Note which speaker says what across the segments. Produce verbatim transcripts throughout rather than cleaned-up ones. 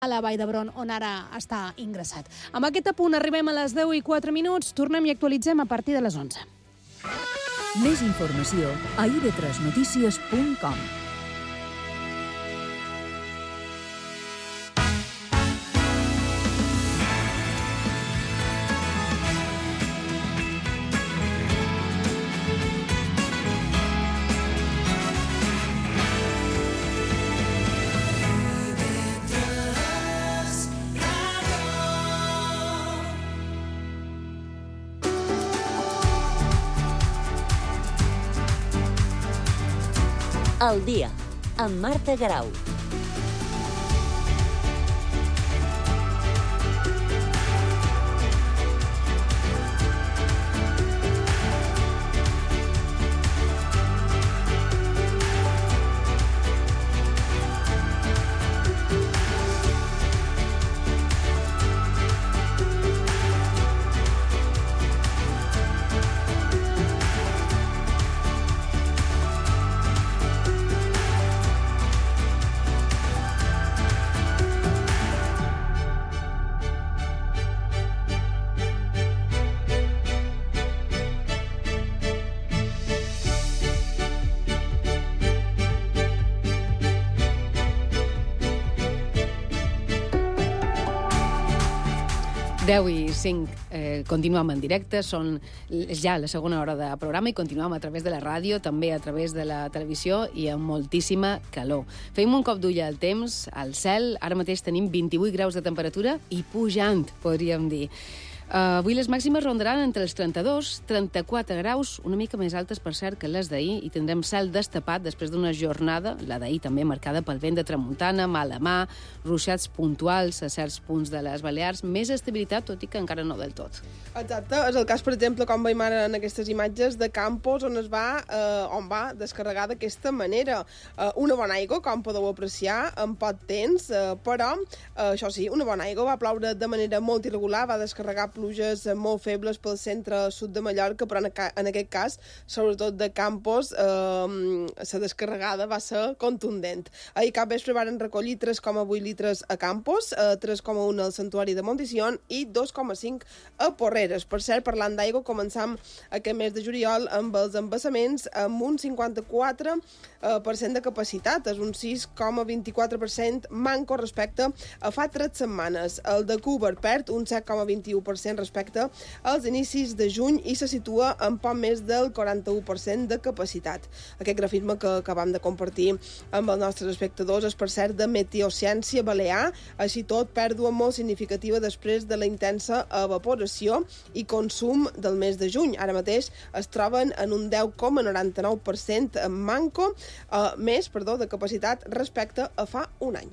Speaker 1: a la Vall d'Hebron, on ara està ingressat. Amb aquest apunt arribem a les deu i quatre minuts. Tornem i actualitzem a partir de les onze.
Speaker 2: Més informació a i ve tres notícies punt com.
Speaker 3: El dia, amb Marta Garau.
Speaker 4: deu i cinc, eh, continuem en directe, són ja la segona hora de programa i continuem a través de la ràdio, també a través de la televisió i amb moltíssima calor. Fem un cop d'ull al temps, al cel, ara mateix tenim vint-i-vuit graus de temperatura i pujant, podríem dir. Uh, avui les màximes rondaran entre els trenta-dos i trenta-quatre graus, una mica més altes, per cert, que les d'ahir, i tindrem cel destapat després d'una jornada, la d'ahir també marcada pel vent de tramuntana, mala mà, ruixats puntuals a certs punts de les Balears, més estabilitat, tot i que encara no del tot.
Speaker 5: Exacte, és el cas, per exemple, com veiem ara en aquestes imatges de Campos, on es va, eh, on va descarregar d'aquesta manera. Eh, una bona aigua, com podeu apreciar, en pot temps, eh, però, eh, això sí, una bona aigua, va ploure de manera molt irregular, va descarregar pluges molt febles pel centre-sud de Mallorca, però en, en aquest cas, sobretot de Campos, eh, la descarregada va ser contundent. Ahir cap vespre van recollir tres coma vuit litres a Campos, eh, tres coma un al Santuari de Montisión i dos coma cinc a Porreres. Per cert, parlant d'aigua, començam aquest mes de juliol amb els embassaments amb un cinquanta-quatre per cent de capacitat, és un sis coma vint-i-quatre per cent manco respecte a fa tres setmanes. El de Cúber perd un set coma vint-i-u per cent respecte als inicis de juny i se situa en poc més del quaranta-u per cent de capacitat. Aquest grafisme que acabam de compartir amb els nostres espectadors és, per cert, de Meteociència Balear, així tot pèrdua molt significativa després de la intensa evaporació i consum del mes de juny. Ara mateix es troben en un deu coma noranta-nou per cent manco, eh, més, perdó, de capacitat respecte a fa un any.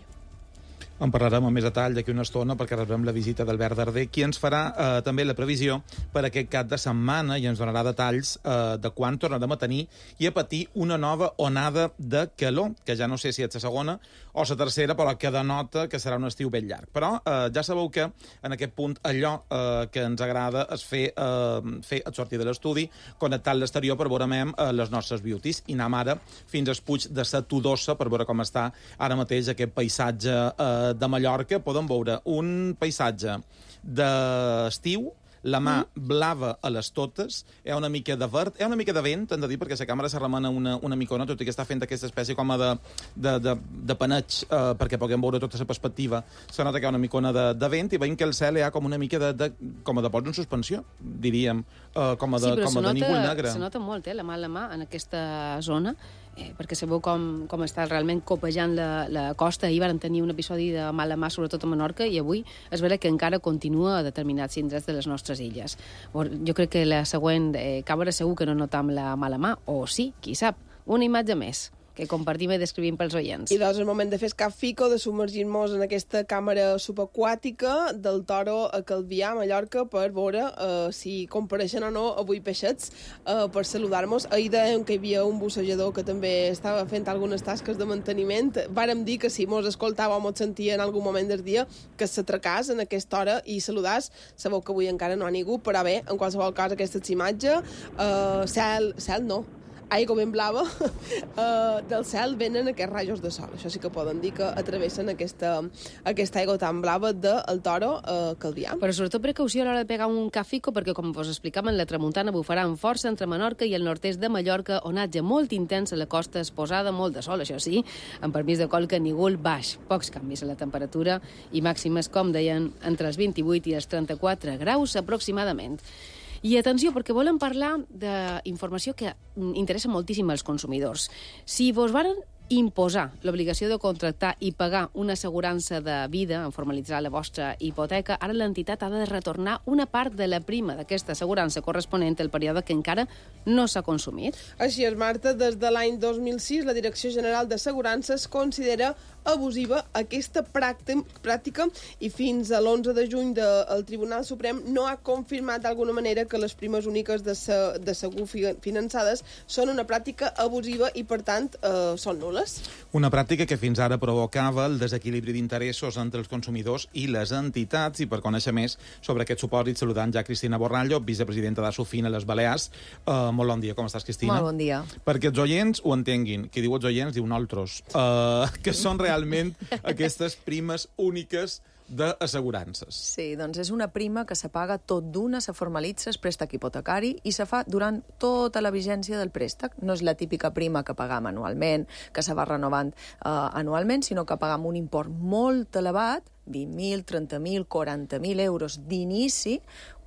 Speaker 6: En parlarem amb més detall d'aquí una estona perquè rebem la visita d'Albert Darder, qui ens farà eh, també la previsió per aquest cap de setmana i ens donarà detalls eh, de quan tornarem a tenir i a patir una nova onada de calor, que ja no sé si és la segona o la tercera, però que denota que serà un estiu ben llarg. Però eh, ja sabeu que en aquest punt allò eh, que ens agrada és fer, eh, fer el sortir de l'estudi, connectar l'exterior per veure eh, les nostres beauties i anem ara fins al Puig de la Todossa per veure com està ara mateix aquest paisatge eh, de Mallorca. Podem veure un paisatge d'estiu, la mà blava a les totes, hi ha una mica de verd, hi ha una mica de vent, hem de dir, perquè la càmera se remena una, una micona, tot i que està fent aquesta espècie com a de, de, de, de paneig, eh, perquè puguem veure tota la perspectiva. Se nota que hi ha una micona de, de vent i veiem que el cel hi ha com una mica de, de, com a de pols en suspensió, diríem, eh, com a de,
Speaker 4: sí,
Speaker 6: com a de nígol negre.
Speaker 4: Se nota molt, eh, la mà a la mà en aquesta zona, eh, perquè sabeu com, com està realment copejant la, la costa. Ahir van tenir un episodi de mala mà, sobretot a Menorca, i avui és vera que encara continua a determinats indrets de les nostres illes. Jo crec que la següent eh, càmera segur que no notam la mala mà, o sí, qui sap, una imatge més que compartim i descrivim pels oients.
Speaker 5: I doncs és el moment de fer cap fico, de submergir-nos en aquesta càmera subaquàtica del Toro a Calvià, a Mallorca, per veure eh, si compareixen o no avui peixets, eh, per saludar-nos. Ahir dèiem que hi havia un bussejador que també estava fent algunes tasques de manteniment. Vàrem dir que si mos escoltava o mos sentia en algun moment del dia que s'atracàs en aquesta hora i saludàs. Sabeu que avui encara no ha ningú, però bé, en qualsevol cas aquesta imatge, eh, cel, cel no, aigua ben blava, uh, del cel venen aquests rajos de sol. Això sí que poden dir que atravessen aquesta, aquesta aigua tan blava del Toro a uh, Calvià.
Speaker 4: Però sobretot precaució a l'hora de pegar un cafico, perquè, com vos explicaven, la tramuntana bufarà amb força entre Menorca i el nord-est de Mallorca, onatge molt intens a la costa exposada, molt de sol, això sí, amb permís de colca nígol baix. Pocs canvis a la temperatura i màximes, com deien, entre els vint-i-vuit i els trenta-quatre graus aproximadament. I atenció, perquè volem parlar d'informació que interessa moltíssim als consumidors. Si vos varen imposar l'obligació de contractar i pagar una assegurança de vida en formalitzar la vostra hipoteca, ara l'entitat ha de retornar una part de la prima d'aquesta assegurança corresponent al període que encara no s'ha consumit.
Speaker 5: Així és, Marta. Des de l'any dos mil sis, la Direcció General d'Assegurances considera abusiva aquesta pràctica i fins a l'onze de juny de, el Tribunal Suprem no ha confirmat d'alguna manera que les primes úniques de, se, de segur finançades són una pràctica abusiva i, per tant, eh, són nul·les.
Speaker 6: Una pràctica que fins ara provocava el desequilibri d'interessos entre els consumidors i les entitats. I per conèixer més sobre aquest supòsit, saludant ja Cristina Borrallo, vicepresidenta d'Asofin a les Balears. Uh, molt bon dia, com estàs, Cristina?
Speaker 7: Molt bon dia.
Speaker 6: Perquè els oients ho entenguin. Qui diu els oients diu nosaltres. Uh, que són realment aquestes primes úniques d'assegurances.
Speaker 7: Sí, doncs és una prima que se paga tot d'una, se formalitza el préstec hipotecari i se fa durant tota la vigència del préstec. No és la típica prima que pagam anualment, que se va renovant eh, anualment, sinó que pagam un import molt elevat, vint mil, trenta mil, quaranta mil euros d'inici,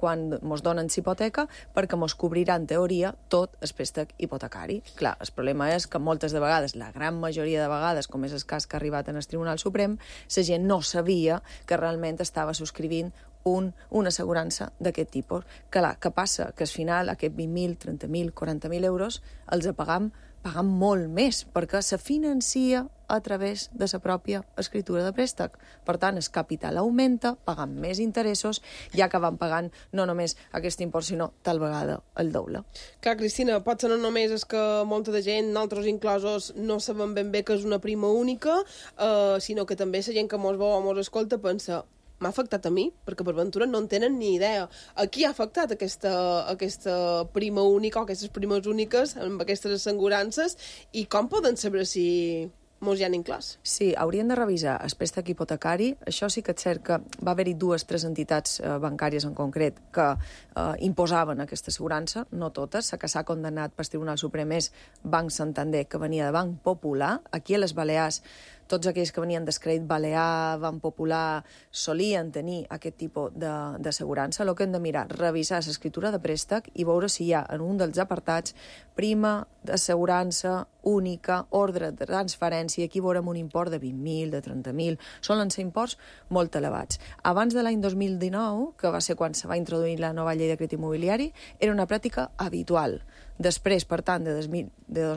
Speaker 7: quan mos donen hipoteca, perquè mos cobrirà, en teoria, tot el préstec hipotecari. Clar, el problema és que moltes de vegades, la gran majoria de vegades, com és el cas que ha arribat en el Tribunal Suprem, la gent no sabia que realment estava subscrivint un, una assegurança d'aquest tipus. Clar, què passa? Que al final aquest vint mil, trenta mil, quaranta mil euros els pagam, pagam molt més, perquè se financia a través de la pròpia escritura de préstec. Per tant, el capital augmenta, pagant més interessos, ja que van pagant no només aquest import, sinó tal vegada el doble.
Speaker 5: Clar, Cristina, potser no només és que molta de gent, nosaltres inclosos, no sabem ben bé que és una prima única, eh, sinó que també la gent que mos veu o mos escolta pensa m'ha afectat a mi, perquè per ventura no en tenen ni idea. A qui ha afectat aquesta, aquesta prima única o aquestes primes úniques amb aquestes assegurances i com poden saber si mos hi han inclòs?
Speaker 7: Sí, haurien de revisar el préstec hipotecari. Això sí que és cert que va haver-hi dues, tres entitats eh, bancàries en concret que eh, imposaven aquesta assegurança, no totes. La que s'ha condemnat pel Tribunal Suprem és Banc Santander, que venia de Banc Popular. Aquí a les Balears, tots aquells que venien d'Escrèdit Balear, Banc Popular, solien tenir aquest tipus d'assegurança. El que hem de mirar, revisar l'escriptura de préstec i veure si hi ha en un dels apartats prima d'assegurança única, ordre de transferència, aquí veurem un import de vint mil, de trenta mil, solen ser imports molt elevats. Abans de l'any dos mil dinou, que va ser quan se va introduir la nova llei de crèdit immobiliari, era una pràctica habitual. Després, per tant, de dos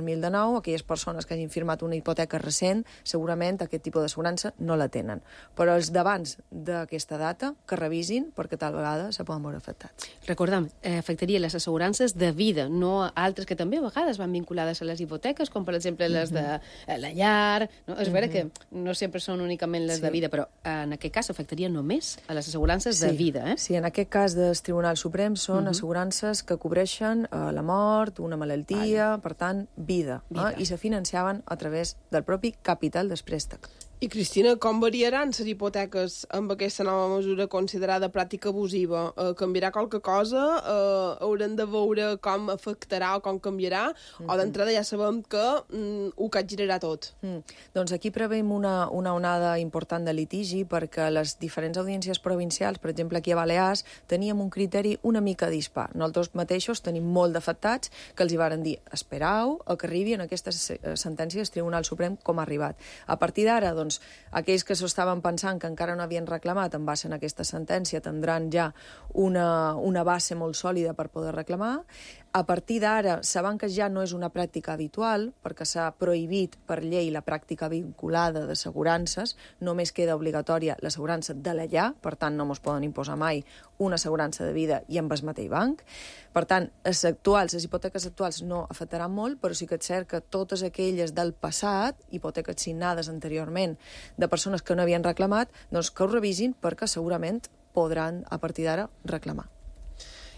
Speaker 7: mil dinou, aquelles persones que hagin firmat una hipoteca recent, segurament aquest tipus d'assegurança no la tenen. Però els d'abans d'aquesta data, que revisin, perquè tal vegada se poden veure afectats.
Speaker 4: Recordem, eh, afectaria les assegurances de vida, no altres que també a vegades van vinculades a les hipoteques, com per exemple les de la llar. No? És vera que no sempre són únicament les
Speaker 7: Sí.
Speaker 4: de vida, però en aquest cas afectaria només a les assegurances
Speaker 7: Sí.
Speaker 4: de vida. Eh?
Speaker 7: Sí, en aquest cas del Tribunal Suprem són assegurances que cobreixen eh, la mort, una malaltia, per tant, vida,
Speaker 4: Vida.
Speaker 7: eh? I se financiaven a través del propi capital del préstec.
Speaker 5: I, Cristina, com variaran les hipoteques amb aquesta nova mesura considerada pràctica abusiva? Eh, canviarà qualque cosa? Eh, haurem de veure com afectarà o com canviarà? Mm -hmm. O d'entrada ja sabem que mm, ho capgirarà tot?
Speaker 7: Mm. Doncs aquí preveiem una, una onada important de litigi perquè les diferents audiències provincials, per exemple aquí a Balears, teníem un criteri una mica dispar. Nosaltres mateixos tenim molt d'afectats que els hi varen dir esperau a que arribi en aquestes sentències del Tribunal Suprem com ha arribat. A partir d'ara, doncs, aquells que s'ho estaven pensant que encara no havien reclamat en base a aquesta sentència tindran ja una, una base molt sòlida per poder reclamar. A partir d'ara, sabent que ja no és una pràctica habitual, perquè s'ha prohibit per llei la pràctica vinculada d'assegurances, només queda obligatòria l'assegurança de la llar, per tant no ens poden imposar mai una assegurança de vida i amb el mateix banc. Per tant, les actuals, les hipoteques actuals no afectaran molt, però sí que és cert que totes aquelles del passat, hipoteques signades anteriorment de persones que no havien reclamat, doncs que ho revisin perquè segurament podran, a partir d'ara, reclamar.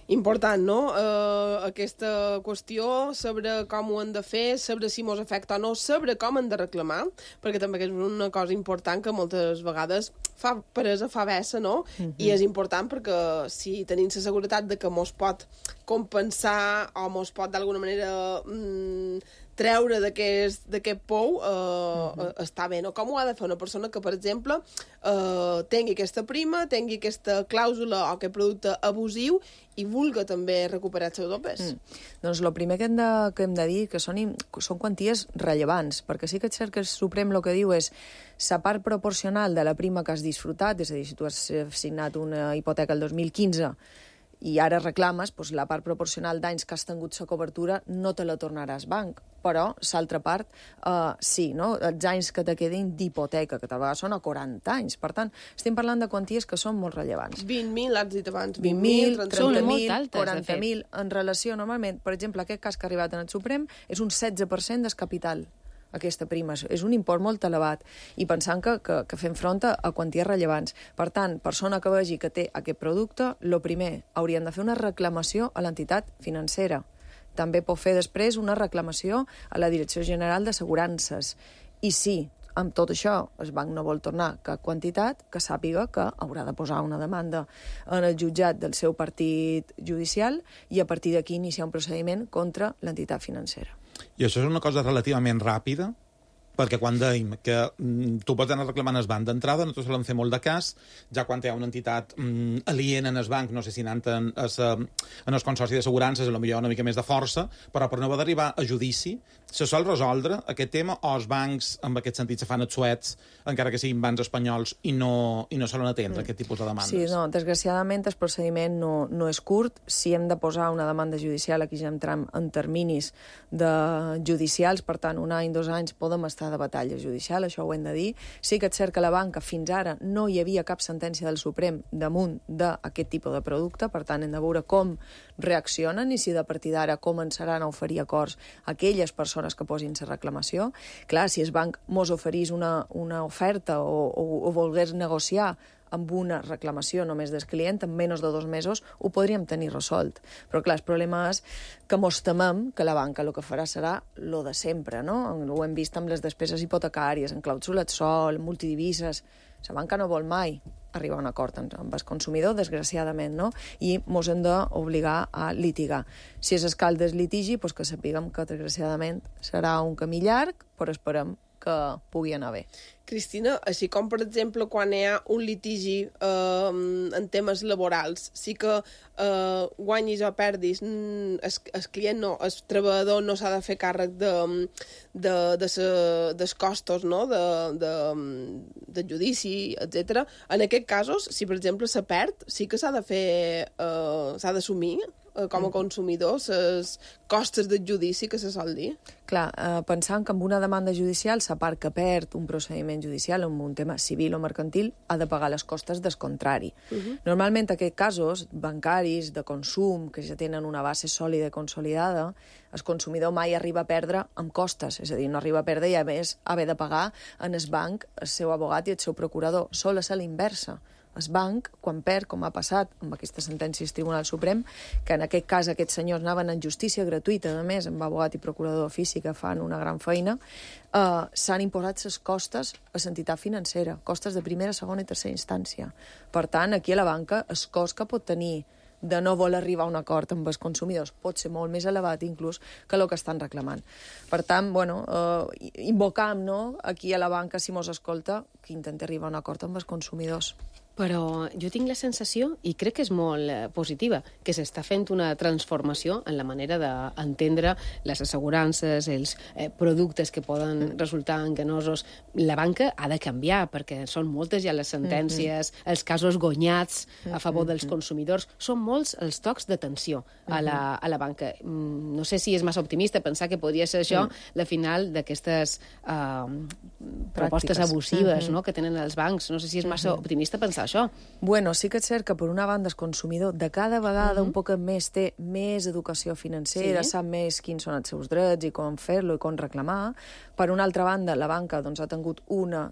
Speaker 5: Important, no? Uh, aquesta qüestió sobre com ho hem de fer, sobre si mos afecta o no, sobre com hem de reclamar, perquè també és una cosa important que moltes vegades fa presa, fa vessa, no? Uh-huh. I és important perquè si tenim la seguretat de que mos pot compensar o mos pot d'alguna manera mm, treure d'aquest pou, eh, uh-huh. està bé, no? Com ho ha de fer una persona que, per exemple, eh, tingui aquesta prima, tingui aquesta clàusula o aquest producte abusiu i vulga també recuperar els seus dopes?
Speaker 7: Mm. Doncs el primer que hem de, que hem de dir que són, són quanties rellevants, perquè sí que és cert que el Suprem el que diu és la part proporcional de la prima que has disfrutat, és a dir, si tu has signat una hipoteca el dos mil quinze i ara reclames, doncs la part proporcional d'anys que has tingut la cobertura no te la tornaràs banc. Però, l'altra part, eh, sí, no? Els anys que te quedin d'hipoteca, que tal vegada són a quaranta anys. Per tant, estem parlant de quanties que són molt rellevants.
Speaker 5: vint mil, has dit abans.
Speaker 7: vint mil, trenta mil,
Speaker 4: altes,
Speaker 7: quaranta mil. En relació, normalment, per exemple, aquest cas que ha arribat en el Suprem és un setze per cent del capital. Aquesta prima. És un import molt elevat i pensant que, que, que fem front a quanties rellevants. Per tant, persona que vegi que té aquest producte, el primer, haurien de fer una reclamació a l'entitat financera. També pot fer després una reclamació a la Direcció General d'Assegurances. I sí, amb tot això, el banc no vol tornar cap quantitat, que sàpiga que haurà de posar una demanda en el jutjat del seu partit judicial i a partir d'aquí iniciar un procediment contra l'entitat financera.
Speaker 6: I això és una cosa relativament ràpida, perquè quan dèiem que mm, tu pots anar reclamant el banc d'entrada, nosaltres solem fer molt de cas, ja quan hi ha una entitat mm, aliena en el banc, no sé si anant en, es, en el consorci d'assegurances, potser una mica més de força, però per no haver d'arribar a judici, se sol resoldre aquest tema o els bancs, en aquest sentit, se fan els suets, encara que siguin bancs espanyols, i no, i no solen atendre mm. aquest tipus de demandes.
Speaker 7: Sí, no, desgraciadament el procediment no, no és curt. Si hem de posar una demanda judicial, aquí ja entrem en terminis de judicials, per tant, un any, dos anys, podem estar de batalla judicial, això ho hem de dir. Sí que és cert que la banca fins ara no hi havia cap sentència del Suprem damunt d'aquest tipus de producte, per tant hem de veure com reaccionen i si de partir d'ara començaran a oferir acords a aquelles persones que posin la reclamació. Clar, si el banc mos oferís una, una oferta o, o, o volgués negociar amb una reclamació només del client, en menys de dos mesos ho podríem tenir resolt. Però clar, el problema és que mos temem que la banca el que farà serà lo de sempre, no? Ho hem vist amb les despeses hipotecàries, en clàusules sol, multidivises. La banca no vol mai arribar a un acord amb el consumidor, desgraciadament, no? I mos hem d'obligar a litigar. Si és escal del litigi, doncs que sapiguem que, desgraciadament, serà un camí llarg, però esperem que pugui anar bé.
Speaker 5: Cristina, així com, per exemple, quan hi ha un litigi eh, en temes laborals, sí que eh, guanyis o perdis, el, el client no, el treballador no s'ha de fer càrrec de, de, de se, dels costos, no?, de, de, de judici, etcètera. En aquests casos, si, per exemple, se perd, sí que s'ha de fer, eh, s'ha d'assumir com a consumidor les costes del judici que se sol dir.
Speaker 7: Clar, eh, pensant que amb una demanda judicial la part que perd un procediment judicial en un tema civil o mercantil ha de pagar les costes del contrari. Uh -huh. Normalment aquests casos bancaris, de consum, que ja tenen una base sòlida i consolidada, el consumidor mai arriba a perdre amb costes, és a dir, no arriba a perdre i a més haver de pagar en el banc el seu abogat i el seu procurador. Sol és a l'inversa. El banc, quan perd, com ha passat amb aquestes sentències del Tribunal Suprem, que en aquest cas aquests senyors anaven en justícia gratuïta, a més, amb abogat i procurador d'ofici que fan una gran feina, eh, s'han imposat les costes a l'entitat financera, costes de primera, segona i tercera instància. Per tant, aquí a la banca el cost que pot tenir de no voler arribar a un acord amb els consumidors pot ser molt més elevat inclús que el que estan reclamant. Per tant, bueno, eh, invocam, no?, aquí a la banca, si mos escolta, que intenti arribar a un acord amb els consumidors.
Speaker 4: Però jo tinc la sensació, i crec que és molt eh, positiva, que s'està fent una transformació en la manera d'entendre les assegurances, els eh, productes que poden resultar enganosos. La banca ha de canviar, perquè són moltes ja les sentències, mm-hmm. els casos guanyats a favor dels consumidors. Són molts els tocs d'atenció a, la, a la banca. No sé si és massa optimista pensar que podria ser això mm. la final d'aquestes eh, propostes abusives mm-hmm. no?, que tenen els bancs. No sé si és massa mm-hmm. optimista pensar això.
Speaker 7: Bueno, sí que és cert que per una banda el consumidor de cada vegada uh-huh. un poc més té més educació financera, sí. sap més quins són els seus drets i com fer-lo i com reclamar. Per una altra banda, la banca doncs, ha tingut una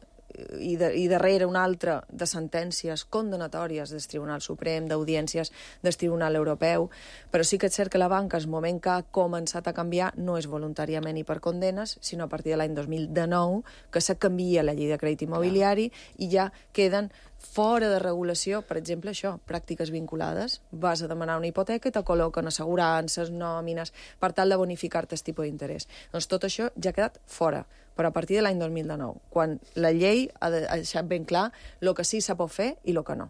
Speaker 7: i, de, i darrere una altra de sentències condenatòries del Tribunal Suprem, d'audiències del Tribunal Europeu, però sí que és cert que la banca, el moment que ha començat a canviar, no és voluntàriament i per condenes, sinó a partir de l'any dos mil dinou, que se canvia la llei de crèdit immobiliari i ja queden fora de regulació, per exemple, això, pràctiques vinculades. Vas a demanar una hipoteca i te col·loquen assegurances, nòmines, per tal de bonificar-te el tipus d'interès. Doncs tot això ja ha quedat fora, però a partir de l'any dos mil dinou, quan la llei ha deixat ben clar el que sí se pot fer i el que no.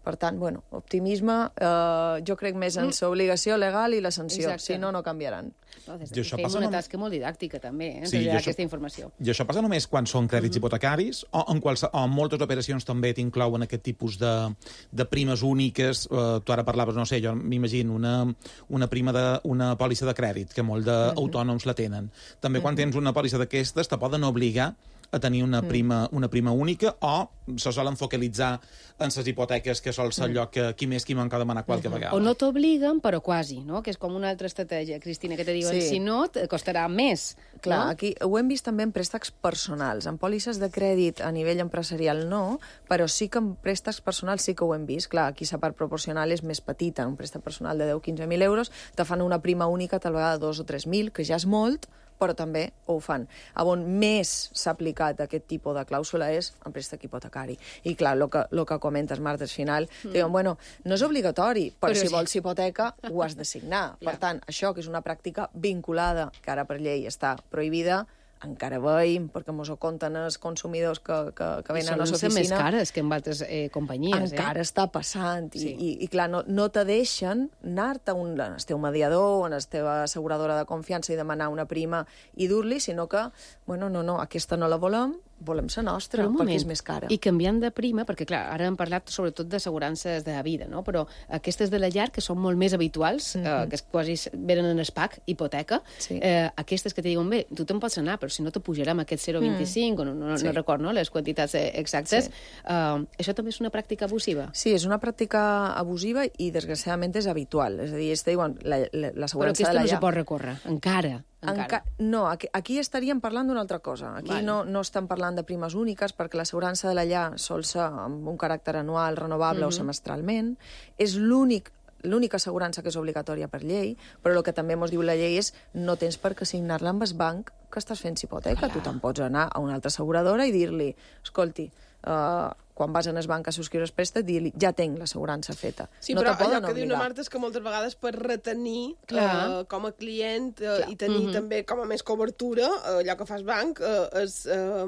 Speaker 7: Per tant, bueno, optimisme, eh, jo crec més en l'obligació legal i la sanció.
Speaker 4: Exacte.
Speaker 7: Si no, no canviaran.
Speaker 4: No, des
Speaker 6: I
Speaker 4: de
Speaker 6: això
Speaker 4: fem
Speaker 6: passa
Speaker 4: una
Speaker 6: només-
Speaker 4: tasca molt didàctica, també, eh,
Speaker 6: Sí,
Speaker 4: sí,
Speaker 6: i això-
Speaker 4: aquesta informació.
Speaker 6: I això passa només quan són crèdits
Speaker 4: Mhm.
Speaker 6: hipotecaris o en, qualse, o en moltes operacions també t'inclouen aquest tipus de, de primes úniques. Uh, tu ara parlaves, no sé, jo m'imagino una, una prima de, una pòlissa de crèdit, que molt d'autònoms la tenen. També quan tens una pòlissa d'aquestes te poden obligar a tenir una prima, una prima única o se solen focalitzar en les hipoteques, que sol ser allò que qui més qui manca demanar qualque vegada.
Speaker 4: O no t'obliguen, però quasi, no? Que és com una altra estratègia, Cristina, que te diuen,
Speaker 7: Sí.
Speaker 4: si no, et costarà més.
Speaker 7: Clar,
Speaker 4: no?
Speaker 7: aquí ho hem vist també en préstecs personals. En pòlisses de crèdit a nivell empresarial no, però sí que en préstecs personals sí que ho hem vist. Clar, aquí la part proporcional és més petita. Un préstec personal de deu a quinze mil euros te fan una prima única tal vegada dos o tres mil, que ja és molt, però també ho fan. On més s'ha aplicat aquest tipus de clàusula és en préstec hipotecari. I clar, el que, lo que comentes, Marta, al final, mm. diuen, bueno, no és obligatori, però,
Speaker 4: Però
Speaker 7: si
Speaker 4: sí.
Speaker 7: vols hipoteca ho has de signar.
Speaker 4: Clar.
Speaker 7: Per tant, això, que és una pràctica vinculada, que ara per llei està prohibida, encara veiem, perquè mos ho compten els consumidors que, que, que
Speaker 4: I
Speaker 7: venen a
Speaker 4: solen
Speaker 7: la
Speaker 4: ser més
Speaker 7: oficina,
Speaker 4: cares que en altres eh, companyies.
Speaker 7: encara
Speaker 4: eh?
Speaker 7: està passant. I,
Speaker 4: Sí.
Speaker 7: i, i clar, no, no te deixen anar-te a un, al teu mediador, a la teva asseguradora de confiança i demanar una prima i dur-li, sinó que, bueno, no, no, aquesta no la volem, volem la nostra,
Speaker 4: Però un
Speaker 7: perquè
Speaker 4: moment,
Speaker 7: és més cara.
Speaker 4: I canviant de prima, perquè clar, ara hem parlat sobretot d'assegurances de vida, no? Però aquestes de la llar, que són molt més habituals, mm -hmm. eh, que quasi venen en el P A C, hipoteca,
Speaker 7: Sí.
Speaker 4: eh, aquestes que te diuen, bé, tu te'n pots anar, però si no te pujarem aquest zero coma vint-i-cinc, mm. o no, no,
Speaker 7: Sí.
Speaker 4: no record no, les quantitats eh, exactes,
Speaker 7: Sí.
Speaker 4: eh, això també és una pràctica abusiva.
Speaker 7: Sí, és una pràctica abusiva i, desgraciadament, és habitual. És a dir, ells te diuen,
Speaker 4: Però
Speaker 7: l'assegurança de
Speaker 4: aquesta
Speaker 7: la
Speaker 4: no se
Speaker 7: llar...
Speaker 4: pot recórrer, encara. encara.
Speaker 7: Enca... No, aquí, aquí estaríem parlant d'una altra cosa. Aquí
Speaker 4: Vale.
Speaker 7: no, no estem parlant de primes úniques, perquè l'assegurança de la llar sol ser amb un caràcter anual, renovable
Speaker 4: Mhm.
Speaker 7: o semestralment. És l'únic l'única assegurança que és obligatòria per llei, però el que també ens diu la llei és no tens per què signar-la amb el banc que estàs fent hipoteca.
Speaker 4: Clar.
Speaker 7: Tu te'n pots anar a una altra asseguradora i dir-li, escolti, uh, quan vas en el banc a subscriure el préstec, dir-li, ja tinc l'assegurança feta.
Speaker 5: Sí,
Speaker 7: no
Speaker 5: però
Speaker 7: te poden
Speaker 5: allò que diu la
Speaker 7: obligar.
Speaker 5: Marta és que moltes vegades per retenir
Speaker 4: Clar.
Speaker 5: eh, com a client eh,
Speaker 4: Clar.
Speaker 5: i tenir
Speaker 4: Mhm.
Speaker 5: també com a més cobertura, eh, allò que fas banc eh, és eh,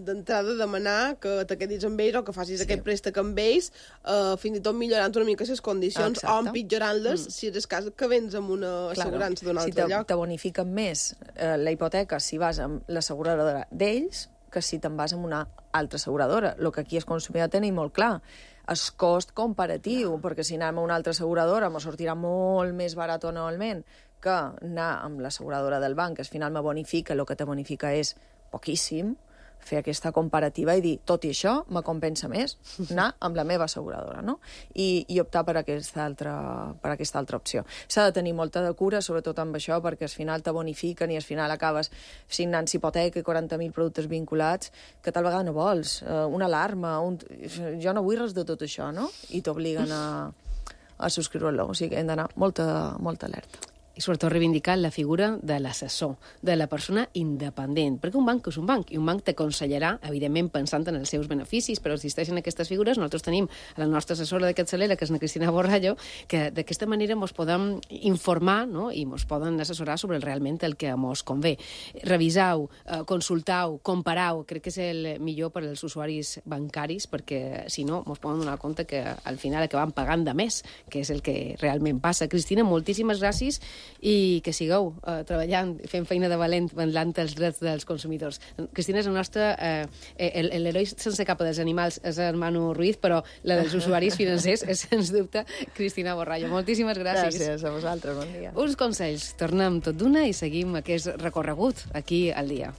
Speaker 5: d'entrada demanar que te quedis amb ells o que facis
Speaker 7: Sí.
Speaker 5: aquest préstec amb ells, eh, fins i tot millorant una mica les condicions
Speaker 7: Exacte.
Speaker 5: o empitjorant-les, mm. si és el cas que vens amb una assegurança d'un
Speaker 7: si
Speaker 5: altre
Speaker 7: te,
Speaker 5: lloc.
Speaker 7: te bonifiquen més eh, la hipoteca si vas amb l'asseguradora d'ells que si te'n vas amb una altra asseguradora. El que aquí els consumidors tenim molt clar, el cost comparatiu, perquè si anem a una altra asseguradora me sortirà molt més barat anualment que anar amb l'asseguradora del banc, que al final me bonifica, el que te bonifica és poquíssim, fer aquesta comparativa i dir, tot i això, me compensa més anar amb la meva asseguradora, no? I, i optar per aquesta altra, per aquesta altra opció. S'ha de tenir molta de cura, sobretot amb això, perquè al final te bonifiquen i al final acabes signant hipoteca i quaranta mil productes vinculats que tal vegada no vols. Uh, una alarma, un... jo no vull res de tot això, no? I t'obliguen a, a subscriure-lo. O sigui que hem d'anar molta, molta alerta.
Speaker 4: I sobretot reivindicar la figura de l'assessor, de la persona independent, perquè un banc és un banc, i un banc t'aconsellarà, evidentment pensant en els seus beneficis, però existeixen aquestes figures. Nosaltres tenim a la nostra assessora de capçalera, que és la Cristina Borrallo, que d'aquesta manera ens podem informar, no?, i ens poden assessorar sobre realment el que ens convé. Revisau, eh, consultau, comparau, crec que és el millor per als usuaris bancaris, perquè si no, ens poden donar compte que al final acabem pagant de més, que és el que realment passa. Cristina, moltíssimes gràcies i que sigueu eh, treballant, fent feina de valent, vetllant els drets dels consumidors. Cristina és el nostre... Eh, el, l'heroi sense capa dels animals és el Manu Ruiz, però la dels usuaris financers és, sens dubte, Cristina Borrallo. Moltíssimes gràcies.
Speaker 7: Gràcies a vosaltres, bon dia.
Speaker 4: Uns consells. Tornem tot d'una i seguim aquest recorregut aquí al dia.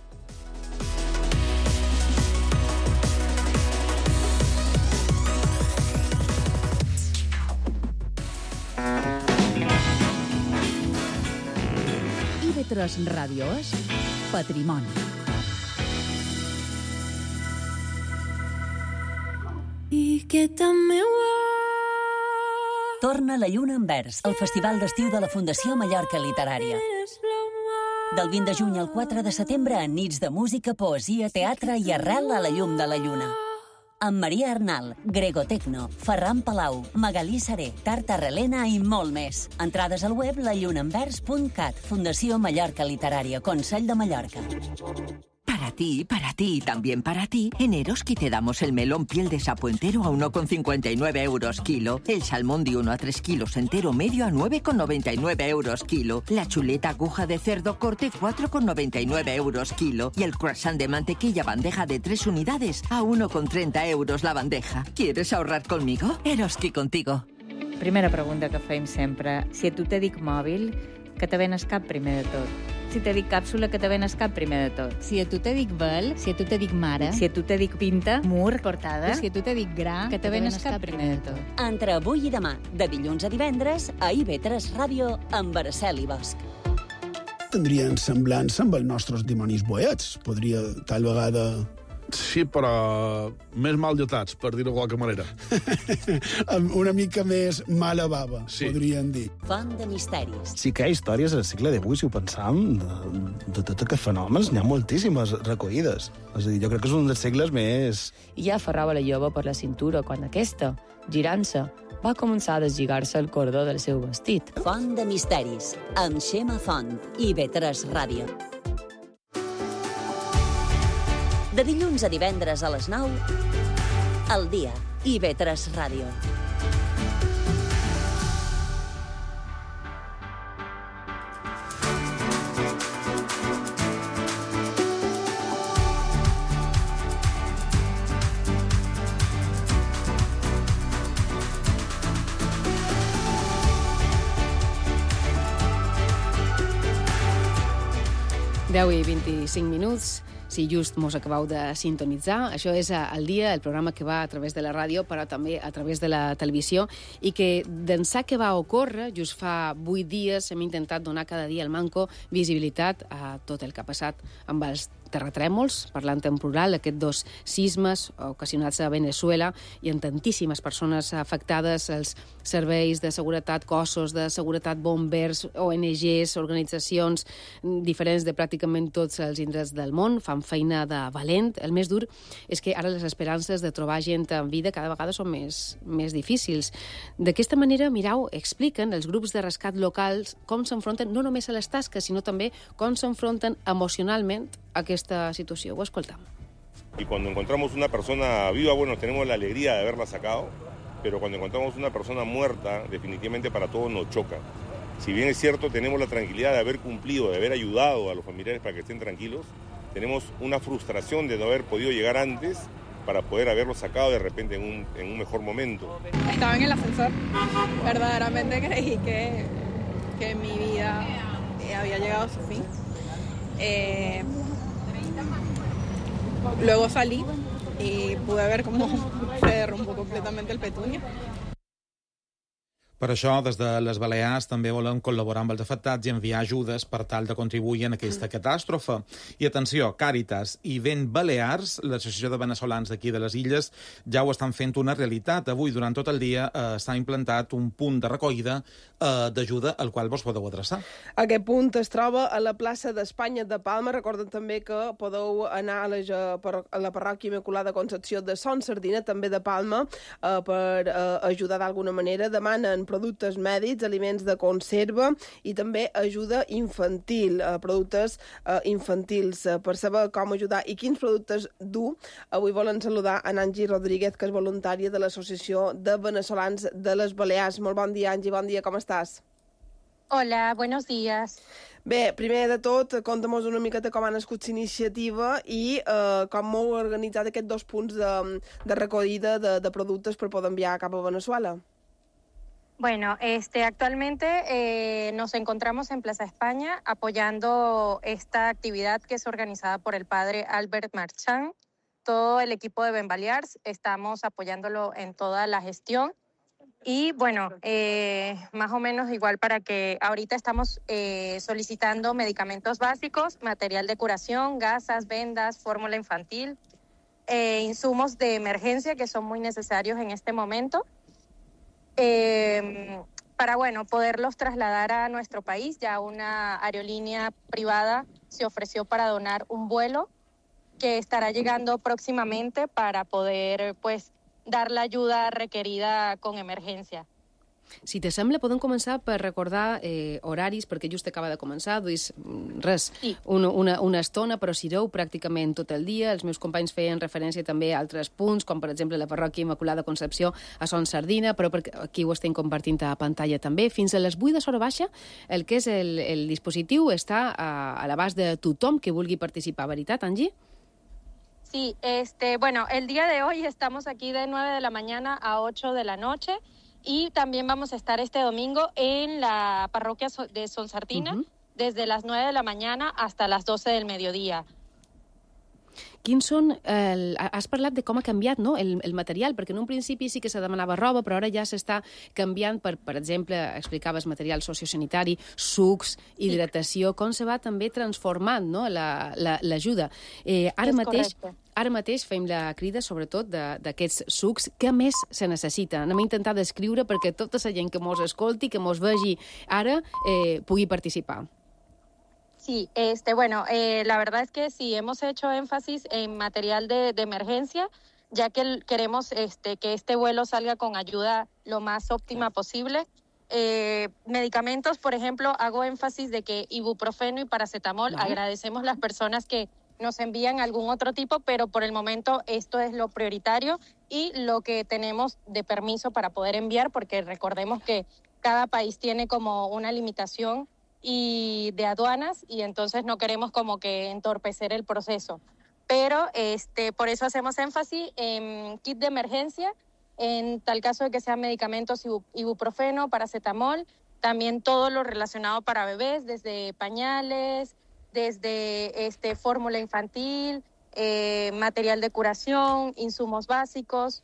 Speaker 2: I V tres Ràdio és Patrimoni.
Speaker 3: Torna la lluna en vers, el festival d'estiu de la Fundació Mallorca Literària. Del vint de juny al quatre de setembre, en nits de música, poesia, teatre i arrel a la llum de la lluna. Amb Maria Arnal, Grego Tecno, Ferran Palau, Magalí Saré, Tarta Relena i molt més. Entrades al web la lluna en vers punt cat, Fundació Mallorca Literària, Consell de Mallorca.
Speaker 8: Para ti, para ti y también para ti, en Eroski te damos el melón piel de sapo entero a uno con cincuenta y nueve euros kilo, el salmón de uno a tres kilos entero medio a nueve con noventa y nueve euros kilo, la chuleta aguja de cerdo corte cuatro con noventa y nueve euros kilo y el croissant de mantequilla bandeja de tres unidades a uno con treinta euros la bandeja. ¿Quieres ahorrar conmigo? Eroski contigo.
Speaker 9: Primera pregunta que fem sempre. Si a tu te dic mòbil, que te venes cap primer de tot? Si te dic càpsula, que te venes cap primer de tot?
Speaker 10: Si a tu te dic vel, si a tu te dic mare,
Speaker 9: si a tu te dic pinta, mur, portada,
Speaker 10: si a tu te dic gra,
Speaker 9: que te venes cap primer de tot?
Speaker 3: Entre avui i demà, de dilluns a divendres, a I V tres Ràdio, amb Araceli Bosch.
Speaker 11: Tindrien semblança amb els nostres dimonis boets. Podria, tal vegada...
Speaker 12: Sí, però més mal dotats, per dir-ho de qualque manera.
Speaker 11: Una mica més mala bava, sí. Podríem dir.
Speaker 3: Font de misteris.
Speaker 13: Sí que hi ha històries al segle divuit, si ho pensam, de, de tots aquests fenòmens, n'hi ha moltíssimes recollides. És a dir, jo crec que és un dels segles més...
Speaker 14: I ja aferrava la jove per la cintura quan aquesta, girant-se, va començar a deslligar-se el cordó del seu vestit.
Speaker 3: Font de misteris, amb Xema Font, I V tres Ràdio. De dilluns a divendres a les nou, al dia, I V tres Ràdio.
Speaker 4: deu i vint-i-cinc minuts. Si just mos acabeu de sintonitzar, això és El Dia, el programa que va a través de la ràdio, però també a través de la televisió, i que d'ençà que va ocórrer, just fa vuit dies, hem intentat donar cada dia al Manco visibilitat a tot el que ha passat amb els terratrèmols, parlant en plural, aquests dos sismes ocasionats a Venezuela i amb tantíssimes persones afectades, els serveis de seguretat, cossos de seguretat, bombers, O N Ges, organitzacions diferents de pràcticament tots els indrets del món, fan feina de valent. El més dur és que ara les esperances de trobar gent en vida cada vegada són més, més difícils. D'aquesta manera, mireu, expliquen els grups de rescat locals com s'enfronten no només a les tasques, sinó també com s'enfronten emocionalment a aquesta situació. Ho escoltam.
Speaker 15: Y cuando encontramos una persona viva, bueno, tenemos la alegría de haberla sacado, pero cuando encontramos una persona muerta, definitivamente para todos nos choca. Si bien es cierto, tenemos la tranquilidad de haber cumplido, de haber ayudado a los familiares para que estén tranquilos, tenemos una frustración de no haber podido llegar antes para poder haberlo sacado de repente en un, en un mejor momento.
Speaker 16: Estaba en el ascensor. Verdaderamente creí que, que mi vida había llegado a su fin. Eh, luego salí y pude ver cómo se derrumbó completamente el Petunia.
Speaker 6: Per això, des de les Balears també volem col·laborar amb els afectats i enviar ajudes per tal de contribuir en aquesta catàstrofe. I atenció, Càritas i Vent Balears, l'associació de veneçolans d'aquí de les illes, ja ho estan fent una realitat. Avui, durant tot el dia, eh, s'ha implantat un punt de recollida eh, d'ajuda al qual vos podeu adreçar.
Speaker 5: Aquest punt es troba a la plaça d'Espanya de Palma. Recorden també que podeu anar a la, a la parròquia Immaculada Concepció de Son Sardina, també de Palma, eh, per eh, ajudar d'alguna manera. Demanen productes mèdics, aliments de conserva i també ajuda infantil, eh, productes eh, infantils. Eh, per saber com ajudar i quins productes dur, avui volen saludar a Angie Rodríguez, que és voluntària de l'Associació de Veneçolans de les Balears. Molt bon dia, Angie, bon dia, com estàs?
Speaker 17: Hola, buenos días.
Speaker 5: Bé, primer de tot, conta'm-nos una miqueta com ha nascut l'iniciativa i eh, com heu organitzat aquests dos punts de, de recollida de, de productes per poder enviar cap a Venezuela.
Speaker 17: Bueno, este, actualmente eh, nos encontramos en Plaza España apoyando esta actividad que es organizada por el padre Albert Marchand. Todo el equipo de Ben Balears estamos apoyándolo en toda la gestión. Y bueno, eh, más o menos igual para que ahorita estamos eh, solicitando medicamentos básicos, material de curación, gasas, vendas, fórmula infantil, eh, insumos de emergencia que son muy necesarios en este momento, eh, para bueno, poderlos trasladar a nuestro país. Ya una aerolínea privada se ofreció para donar un vuelo que estará llegando próximamente para poder pues, dar la ayuda requerida con emergència.
Speaker 4: Si te sembla, podem començar per recordar eh, horaris, perquè just acaba de començar, duis res, sí. una, una, una estona, però sireu pràcticament tot el dia. Els meus companys feien referència també a altres punts, com per exemple la parròquia Immaculada Concepció a Son Sardina, però aquí ho estem compartint a pantalla també. Fins a les vuit de l'hora baixa, el que és el, el dispositiu està a, a l'abast de tothom que vulgui participar. Veritat, Angie?
Speaker 17: Sí, este, bueno, el día de hoy estamos aquí de nueve de la mañana a ocho de la noche. Y también vamos a estar este domingo en la parroquia de Son Sardina, uh-huh. desde las nueve de la mañana hasta las doce del mediodía.
Speaker 4: Quins són... El, has parlat de com ha canviat, no?, el, el material, perquè en un principi sí que se demanava roba, però ara ja s'està canviant per, per exemple, explicaves material sociosanitari, sucs, hidratació, com se va també transformant, no?, l'ajuda. La, la, eh, ara mateix... Correcte. Ara mateix fem la crida, sobretot, d'aquests sucs. Què més se necessita? Anem a intentar descriure perquè tota la gent que mos escolti, que mos vegi ara, eh, pugui participar.
Speaker 17: Sí, este, bueno, eh, la verdad es que sí, hemos hecho énfasis en material de, de emergencia, ya que queremos este, que este vuelo salga con ayuda lo más óptima posible. Eh, medicamentos, por ejemplo, hago énfasis de que ibuprofeno y paracetamol, ¿no? Agradecemos las personas que nos envían algún otro tipo, pero por el momento esto es lo prioritario y lo que tenemos de permiso para poder enviar, porque recordemos que cada país tiene como una limitación y de aduanas y entonces no queremos como que entorpecer el proceso. Pero este, por eso hacemos énfasis en kit de emergencia, en tal caso de que sean medicamentos ibuprofeno, paracetamol, también todo lo relacionado para bebés, desde pañales, desde este, fórmula infantil, eh, material de curación, insumos básicos.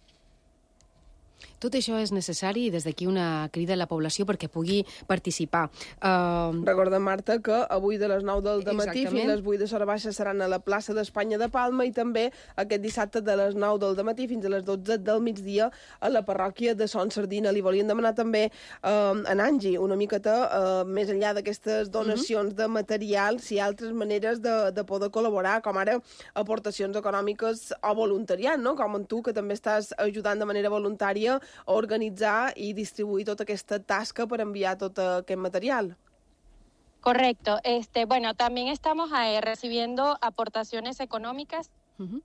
Speaker 4: Tot això és necessari i des d'aquí una crida a la població perquè pugui participar. Uh...
Speaker 5: Recordem, Marta, que avui de les nou del dematí fins a les vuit de l'hora baixa seran a la plaça d'Espanya de Palma i també aquest dissabte de les nou del dematí fins a les dotze del migdia a la parròquia de Son Sardina. Li volíem demanar també uh, a Angie una miqueta, uh, més enllà d'aquestes donacions uh-huh. de material, si hi ha altres maneres de, de poder col·laborar, com ara aportacions econòmiques o voluntariat, no? Com en tu, que també estàs ajudant de manera voluntària a organitzar i distribuir tota aquesta tasca per enviar tot aquest material.
Speaker 17: Correcto. Este, bueno, también estamos eh, recibiendo aportaciones económicas uh-huh.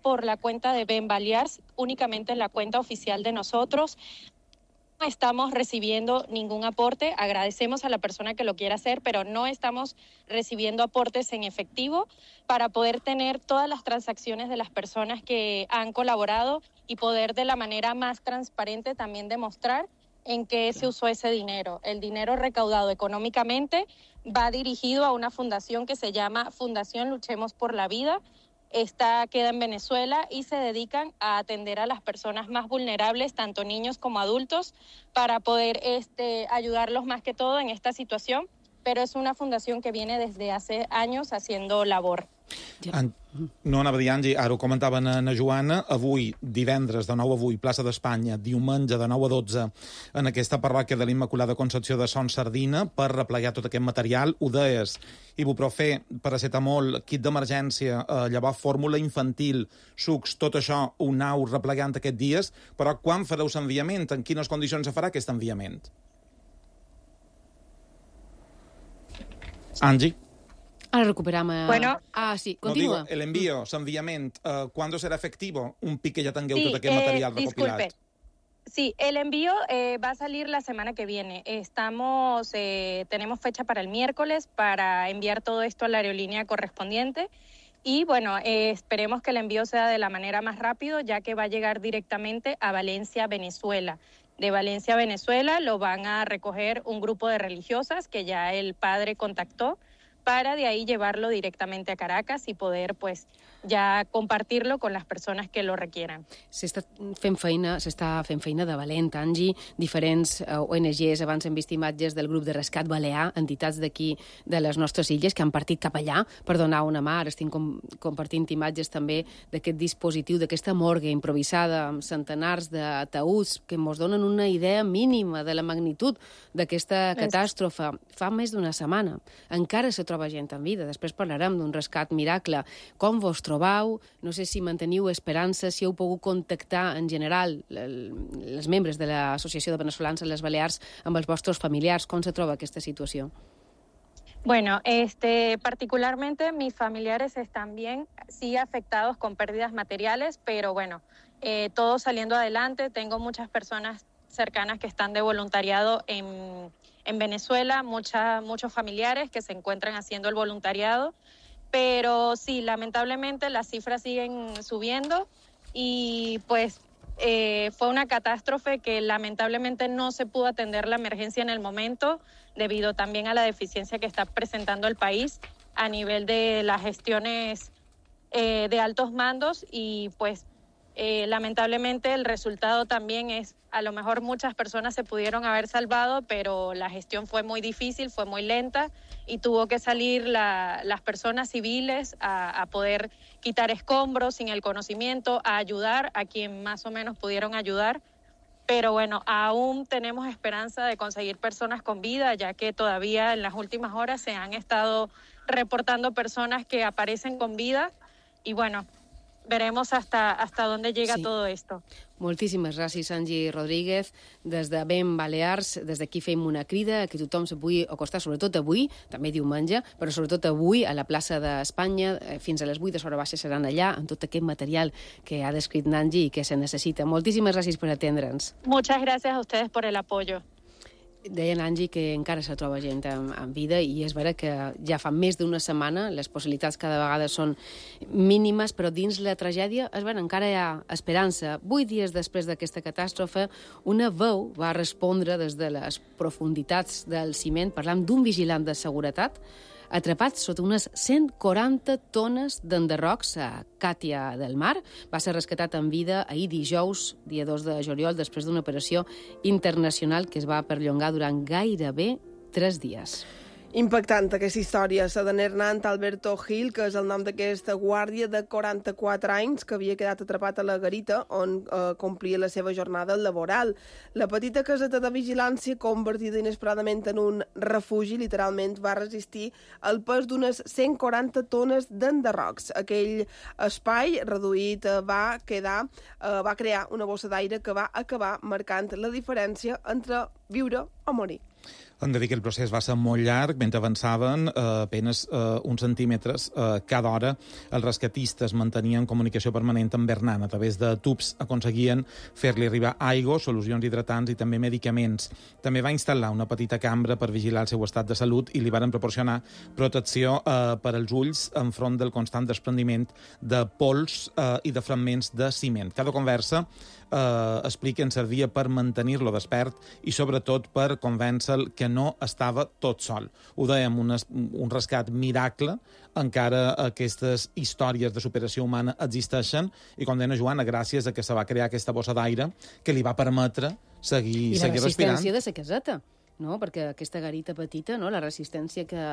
Speaker 17: por la cuenta de Ben Balears, únicamente en la cuenta oficial de nosotros. No estamos recibiendo ningún aporte, agradecemos a la persona que lo quiera hacer, pero no estamos recibiendo aportes en efectivo para poder tener todas las transacciones de las personas que han colaborado y poder de la manera más transparente también demostrar en qué se usó ese dinero. El dinero recaudado económicamente va dirigido a una fundación que se llama Fundación Luchemos por la Vida. Esta queda en Venezuela y se dedican a atender a las personas más vulnerables, tanto niños como adultos, para poder este, ayudarlos más que todo en esta situación, pero es una fundación que viene desde hace años haciendo labor.
Speaker 6: En... No anava a dir, Angie, ara ho comentava na, na Joana, avui, divendres, de nou a avui, plaça d'Espanya, diumenge, de nou a dotze, en aquesta parròquia de l'Immaculada Concepció de Son Sardina, per replegar tot aquest material. Ho deies, ibuprofè, paracetamol, kit d'emergència, eh, llavors fórmula infantil, sucs, tot això ho anau replegant aquests dies, però quan fareu l'enviament? En quines condicions se farà aquest enviament? Angie?
Speaker 4: Ahora recuperamos...
Speaker 17: Bueno,
Speaker 4: ah, sí, continúa.
Speaker 6: No, digo, el envío, l'enviament, uh, ¿cuándo será efectivo? Un pic que ya tengueu
Speaker 17: sí,
Speaker 6: tot aquest
Speaker 17: eh,
Speaker 6: material recopilat.
Speaker 17: Disculpe. Sí, el envío eh, va a salir la semana que viene. Estamos, eh, tenemos fecha para el miércoles para enviar todo esto a la aerolínea correspondiente. Y bueno, eh, esperemos que el envío sea de la manera más rápido, ya que va a llegar directamente a Valencia, Venezuela. De Valencia, Venezuela, lo van a recoger un grupo de religiosas que ya el padre contactó, para de ahí llevarlo directamente a Caracas y poder pues ya compartirlo con las personas que lo requieran.
Speaker 4: S'està fent feina, s'està fent feina de valent, Angie. Diferents eh, O N Ges, abans hem vist imatges del grup de rescat balear, entitats d'aquí, de les nostres illes, que han partit cap allà per donar una mà. Ara estic com, compartint imatges també d'aquest dispositiu, d'aquesta morgue improvisada amb centenars d'ataúds que ens donen una idea mínima de la magnitud d'aquesta catàstrofe. Fa més d'una setmana. Encara se troba gent en vida. Després parlarem d'un rescat miracle. Com vos trobau? No sé si manteniu esperança, si heu pogut contactar en general els membres de l'Associació de Veneçolans a les Balears amb els vostres familiars. Com se troba aquesta situació?
Speaker 17: Bueno, este, particularmente mis familiares están bien, sí afectados con pérdidas materiales, pero bueno, eh, todo saliendo adelante. Tengo muchas personas cercanas que están de voluntariado en, en Venezuela, mucha, muchos familiares que se encuentran haciendo el voluntariado. Pero sí, lamentablemente las cifras siguen subiendo y pues eh, fue una catástrofe que lamentablemente no se pudo atender la emergencia en el momento debido también a la deficiencia que está presentando el país a nivel de las gestiones eh, de altos mandos y pues eh, lamentablemente el resultado también es, a lo mejor muchas personas se pudieron haber salvado, pero la gestión fue muy difícil, fue muy lenta y tuvo que salir la, las personas civiles a, a poder quitar escombros sin el conocimiento, a ayudar a quien más o menos pudieron ayudar. Pero bueno, aún tenemos esperanza de conseguir personas con vida, ya que todavía en las últimas horas se han estado reportando personas que aparecen con vida y bueno, veremos hasta, hasta dónde llega sí. todo esto.
Speaker 4: Moltíssimes gràcies, Angie Rodríguez. Des de Ben Balears, des d'aquí fem una crida a que tothom se pugui acostar, sobretot avui, també diumenge, però sobretot avui a la plaça d'Espanya, fins a les vuit de Sora Baixa seran allà, amb tot aquest material que ha descrit Angie i que se necessita. Moltíssimes gràcies per atendre'ns.
Speaker 17: Muchas gracias a ustedes por el apoyo.
Speaker 4: Deia Angie que encara se troba gent en, en vida i és vera que ja fa més d'una setmana les possibilitats cada vegada són mínimes, però dins la tragèdia és vera, encara hi ha esperança. Vuit dies després d'aquesta catàstrofe, una veu va respondre des de les profunditats del ciment parlant d'un vigilant de seguretat atrapat sota unes cent quaranta tones d'enderrocs a Càtia del Mar. Va ser rescatat en vida ahir dijous, dia dos de juliol, després d'una operació internacional que es va perllongar durant gairebé tres dies.
Speaker 5: Impactant aquesta història, la de Hernán Alberto Gil, que és el nom d'aquesta guàrdia de quaranta-quatre anys que havia quedat atrapat a la garita on eh, complia la seva jornada laboral. La petita caseta de vigilància, convertida inesperadament en un refugi, literalment va resistir el pes d'unes cent quaranta tones d'enderrocs. Aquell espai reduït eh, va, quedar, eh, va crear una bossa d'aire que va acabar marcant la diferència entre viure o morir.
Speaker 6: Hem de dir que el procés va ser molt llarg, mentre avançaven eh, apenes eh, uns centímetres eh, cada hora. Els rescatistes mantenien comunicació permanent amb Hernán. A través de tubs aconseguien fer-li arribar aigua, solucions hidratants i també medicaments. També va instal·lar una petita cambra per vigilar el seu estat de salut i li varen proporcionar protecció eh, per als ulls enfront del constant desprendiment de pols eh, i de fragments de ciment. Cada conversa eh, expliquen servia per mantenir-lo despert i sobretot per convèncer-lo que no estava tot sol. Ho dèiem, un, un rescat miracle, encara aquestes històries de superació humana existeixen i, com deia Joana, gràcies a que se va crear aquesta bossa d'aire que li va permetre seguir, seguir respirant.
Speaker 4: I la resistència de la caseta. No? Perquè aquesta garita petita, no? La resistència que,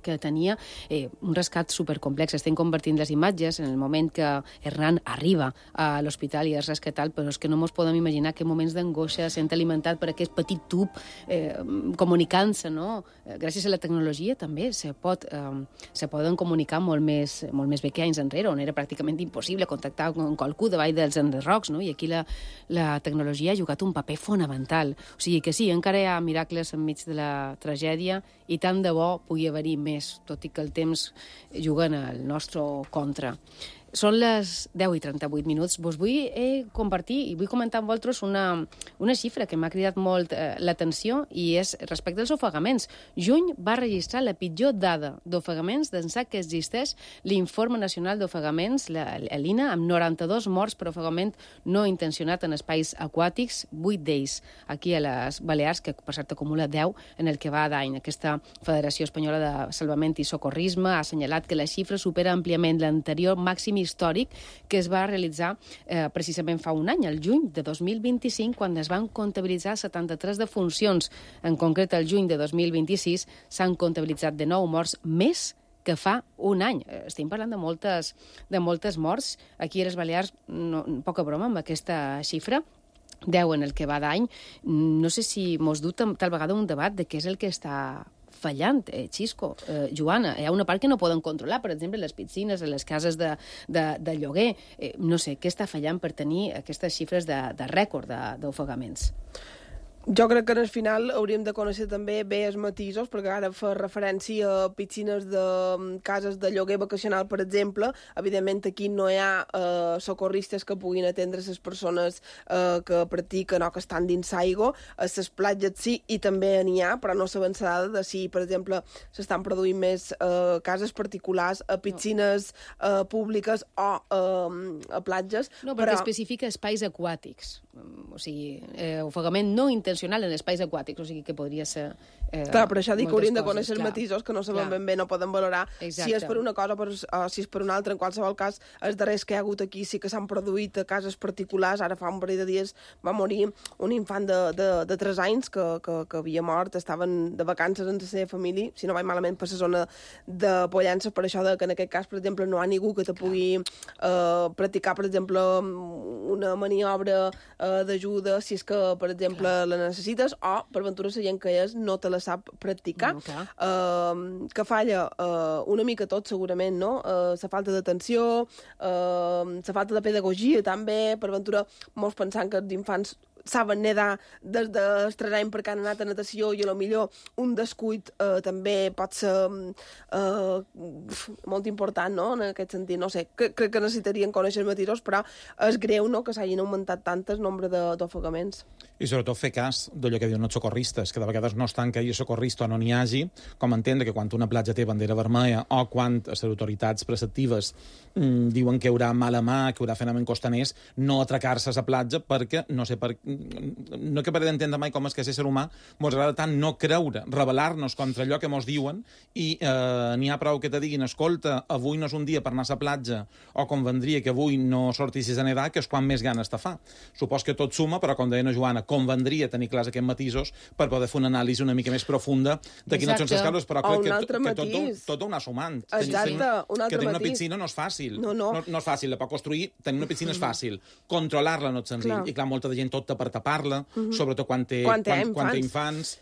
Speaker 4: que tenia, eh, un rescat supercomplex. Estem convertint les imatges en el moment que Hernán arriba a l'hospital i és rescatat, però és que no ens podem imaginar que moments d'angoixa sent alimentat per aquest petit tub eh, comunicant-se, no? Gràcies a la tecnologia també se, pot, eh, se poden comunicar molt més, molt més bé que anys enrere, on era pràcticament impossible contactar amb qualcú davall dels enderrocs, no? I aquí la, la tecnologia ha jugat un paper fonamental. O sigui que sí, encara hi ha miracles enmig de la tragèdia i tant de bo pugui haver-hi més, tot i que el temps juga en el nostre contra. Són les deu i trenta-vuit minuts. Vos vull eh, compartir i vull comentar amb vosaltres una, una xifra que m'ha cridat molt eh, l'atenció i és respecte als ofegaments. Juny va registrar la pitjor dada d'ofegaments d'ençà que existeix l'Informe Nacional d'Ofegaments, l'I N A, amb noranta-dos morts per ofegament no intencionat en espais aquàtics, vuit d'ells aquí a les Balears, que per cert acumula deu en el que va d'any. Aquesta Federació Espanyola de Salvament i Socorrisme ha assenyalat que la xifra supera àmpliament l'anterior màxim històric que es va realitzar eh, precisament fa un any, el juny de dos mil vint-i-cinc, quan es van comptabilitzar setanta-tres defuncions. En concret, el juny de dos mil vint-i-sis s'han comptabilitzat de nou morts més que fa un any. Estem parlant de moltes, de moltes morts. Aquí a les Balears, no, poca broma amb aquesta xifra, deu en el que va d'any. No sé si mos du tal vegada un debat de què és el que està fallant, eh, Xisco, eh, Joana. Hi ha una part que no poden controlar, per exemple, les piscines, les cases de, de, de lloguer. Eh, no sé, què està fallant per tenir aquestes xifres de, de rècord d'ofegaments?
Speaker 5: Jo crec que al final hauríem de conèixer també bé els matisos, perquè ara fa referència a piscines de cases de lloguer vacacional, per exemple. Evidentment, aquí no hi ha eh, socorristes que puguin atendre les persones eh, que practiquen o que estan dins l'aigua. A les platges sí, i també n'hi ha, però no s'avançarà de si, per exemple, s'estan produint més eh, cases particulars a piscines eh, públiques o eh, a platges.
Speaker 4: No, perquè
Speaker 5: però...
Speaker 4: especifica espais aquàtics. O sigui, eh, ofegament no intencional en espais aquàtics, o sigui que podria ser... Eh,
Speaker 5: clar, per això dic que hauríem de conèixer
Speaker 4: els
Speaker 5: matisos que no sabem ben bé, no poden valorar
Speaker 4: Exacte.
Speaker 5: si és per una cosa per, o si és per una altra. En qualsevol cas, els darrers que hi ha hagut aquí sí que s'han produït a cases particulars. Ara fa un parell de dies va morir un infant de, de, de tres anys que, que, que havia mort, estaven de vacances en la seva família, si no vaig malament, per la zona de Pollença, per això de que en aquest cas, per exemple, no hi ha ningú que te pugui eh, practicar, per exemple, una maniobra eh, d'ajuda si és que, per exemple, clar. la necessites, o, per ventura, la gent que és no te la sap practicar. No, uh, que falla uh, una mica tot, segurament, no? Uh, la falta d'atenció, uh, la falta de pedagogia, també, per ventura, molts pensant que els infants saben nedar des dels tres anys perquè han anat a natació i a lo millor un descuit eh, també pot ser eh, molt important, no?, en aquest sentit. No sé, crec que necessitarien conèixer els matisos, però és greu, no?, que s'hagin augmentat tant el nombre d'ofegaments.
Speaker 6: I sobretot fer cas d'allò que diuen els socorristes, que de vegades no estan que hi hagi socorrista o no n'hi hagi, com entendre que quan una platja té bandera vermella o quan les autoritats preceptives mmm, diuen que hi haurà mala mà, que hi haurà fenomen costaners, no atracar-se a la platja perquè, no sé, per, no acabaré d'entendre mai com és que ser ser humà mos agrada tant no creure, rebel·lar-nos contra allò que mos diuen i eh, n'hi ha prou que te diguin, escolta, avui no és un dia per anar a la platja o convendria que avui no sortissis a nedar, que és quan més ganes te fa. Supos que tot suma, però com deia la Joana, convendria tenir clars aquests matisos per poder fer una anàlisi una mica més profunda de quines són les causes, però crec que, que tot, tot ho anar sumant.
Speaker 5: Exacte, un altre
Speaker 6: que tenir una
Speaker 5: matís.
Speaker 6: piscina no és fàcil.
Speaker 5: No, no.
Speaker 6: No, no és fàcil, la pot construir, tenir una piscina és fàcil. Controlar-la no és senzill.
Speaker 5: Clar.
Speaker 6: I clar, molta de gent tot per tapar-la,
Speaker 5: Mhm.
Speaker 6: sobretot quan té,
Speaker 5: Quan té
Speaker 6: quan,
Speaker 5: infants.
Speaker 6: quan té infants.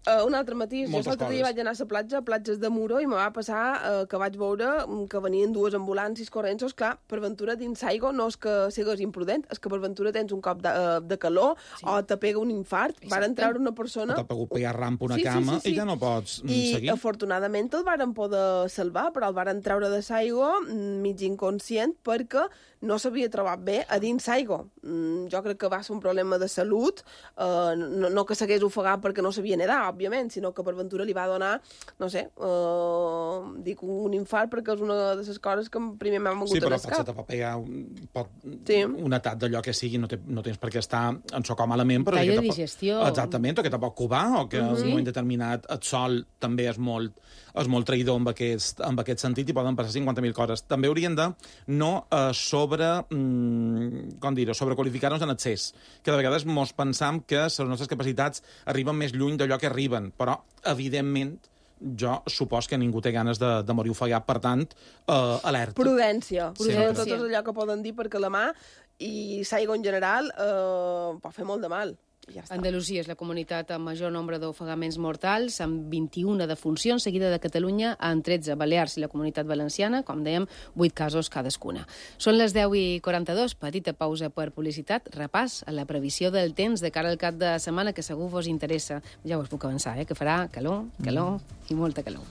Speaker 5: Uh, un altre matís, jo
Speaker 6: Moltes
Speaker 5: l'altre dia
Speaker 6: coses.
Speaker 5: vaig anar a la platja, a platges de Muro, i me va passar uh, que vaig veure que venien dues ambulàncies corrents. Clar, per ventura dins l'aigua no és que sigues imprudent, és que per ventura tens un cop de, uh, de calor, sí. o te pega un infart. Exacte. Varen treure una persona...
Speaker 6: O t'ha pogut pegar rampa una
Speaker 5: sí,
Speaker 6: cama
Speaker 5: sí, sí, sí.
Speaker 6: i ja no pots
Speaker 5: I,
Speaker 6: seguir.
Speaker 5: I afortunadament el varen poder salvar, però el varen treure de l'aigua mig inconscient perquè no s'havia trobat bé a dins l'aigua. Mm, jo crec que va ser un problema de salut, uh, no, no que s'hagués ofegat perquè no sabia nedar, òbviament, sinó que per ventura li va donar, no sé, uh, dic un infart perquè és una de les coses que primer m'han vingut
Speaker 6: sí,
Speaker 5: a
Speaker 6: però
Speaker 5: l'escap.
Speaker 6: pot ser te pot pegar un, pot,
Speaker 5: sí.
Speaker 6: un atac d'allò que sigui, no, te, no tens per què estar en so com malament, però...
Speaker 4: Tall de
Speaker 6: que
Speaker 4: digestió.
Speaker 6: Pot, exactament, o que te pot cubar, o que
Speaker 4: Uh-huh.
Speaker 6: en un moment determinat el sol també és molt, és molt traïdor amb aquest, amb aquest sentit i poden passar cinquanta mil coses. També haurien de no eh, sobre... Mm, com dir-ho, sobrequalificar-nos en excés, que de vegades mos pensam que les nostres capacitats arriben més lluny d'allò que arriben, però, evidentment, jo supos que ningú té ganes de, de morir ofegat, per tant, eh, alerta.
Speaker 5: Prudència. Prudència.
Speaker 6: Sempre.
Speaker 5: Tot és allò que poden dir perquè la mà i l'aigua en general eh, pot fer molt de mal. Ja
Speaker 4: Andalusia és la comunitat amb major nombre d'ofegaments mortals, amb vint-i-una defuncions, seguida de Catalunya amb tretze, Balears i la comunitat valenciana, com dèiem, vuit casos cadascuna. Són les deu i quaranta-dos, petita pausa per publicitat, repàs a la previsió del temps de cara al cap de setmana, que segur vos interessa. Ja us puc avançar, eh, que farà calor, calor mm. i molta calor.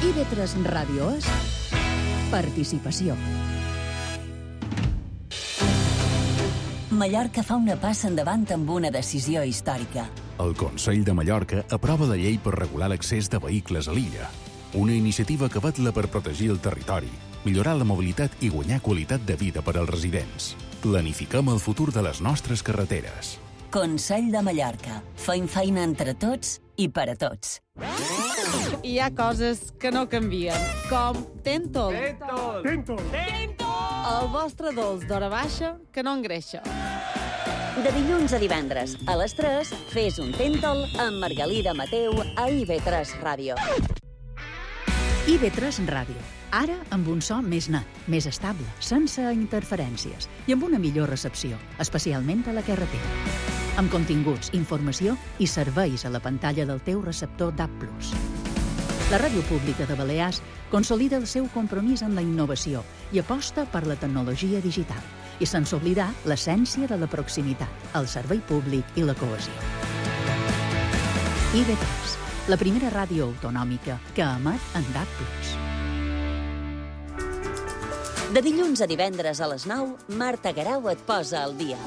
Speaker 2: I V tres Ràdio és participació.
Speaker 3: Mallorca fa una passa endavant amb una decisió històrica.
Speaker 18: El Consell de Mallorca aprova la llei per regular l'accés de vehicles a l'illa. Una iniciativa que vetla per protegir el territori, millorar la mobilitat i guanyar qualitat de vida per als residents. planifiquem el futur de les nostres carreteres.
Speaker 3: Consell de Mallorca. Feim feina entre tots i per a tots.
Speaker 19: Hi ha coses que no canvien, com Tentol.
Speaker 20: Tentol. Tentol.
Speaker 19: El vostre dolç d'hora baixa que no engreixa.
Speaker 3: De dilluns a divendres, a les tres, fes un Tentol amb Margalida Mateu a I V tres Ràdio.
Speaker 2: I V tres Ràdio. Ara amb un so més net, més estable, sense interferències i amb una millor recepció, especialment a la carretera. Amb continguts, informació i serveis a la pantalla del teu receptor D A B plus. La Ràdio Pública de Balears consolida el seu compromís amb la innovació i aposta per la tecnologia digital, i sense oblidar l'essència de la proximitat, el servei públic i la cohesió. I V tres, la primera ràdio autonòmica que emet en D A B plus.
Speaker 3: De dilluns a divendres a les nou, Marta Garau et posa al dia.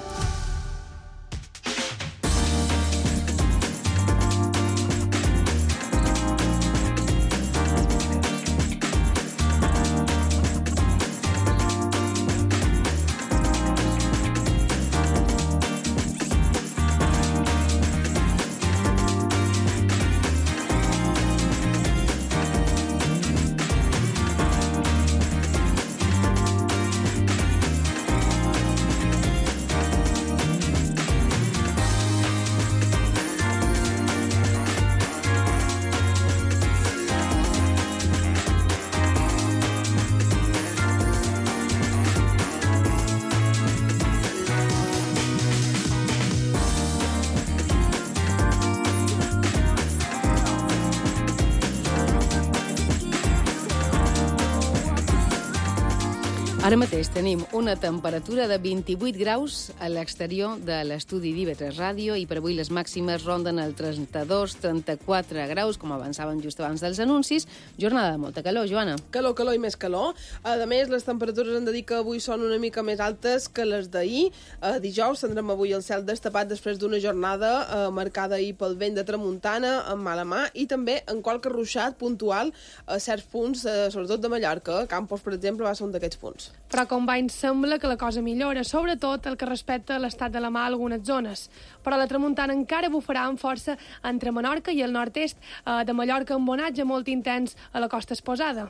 Speaker 4: Ara mateix tenim una temperatura de vint-i-vuit graus a l'exterior de l'estudi d'I V tres Ràdio i per avui les màximes ronden el trenta-dos trenta-quatre graus, com avançàvem just abans dels anuncis. Jornada de molta calor, Joana.
Speaker 5: Calor, calor i més calor. A més, les temperatures hem de dir que avui són una mica més altes que les d'ahir. Eh, dijous tindrem avui el cel destapat després d'una jornada eh, marcada ahir pel vent de tramuntana amb mala mà i també en qualque ruixat puntual a certs punts, eh, sobretot de Mallorca. Campos, per exemple, va ser un d'aquests punts.
Speaker 1: Però com va, ens sembla que la cosa millora, sobretot el que respecta a l'estat de la mà a algunes zones. Però la tramuntana encara bufarà amb força entre Menorca i el nord-est eh, de Mallorca, amb onatge molt intens a la costa exposada.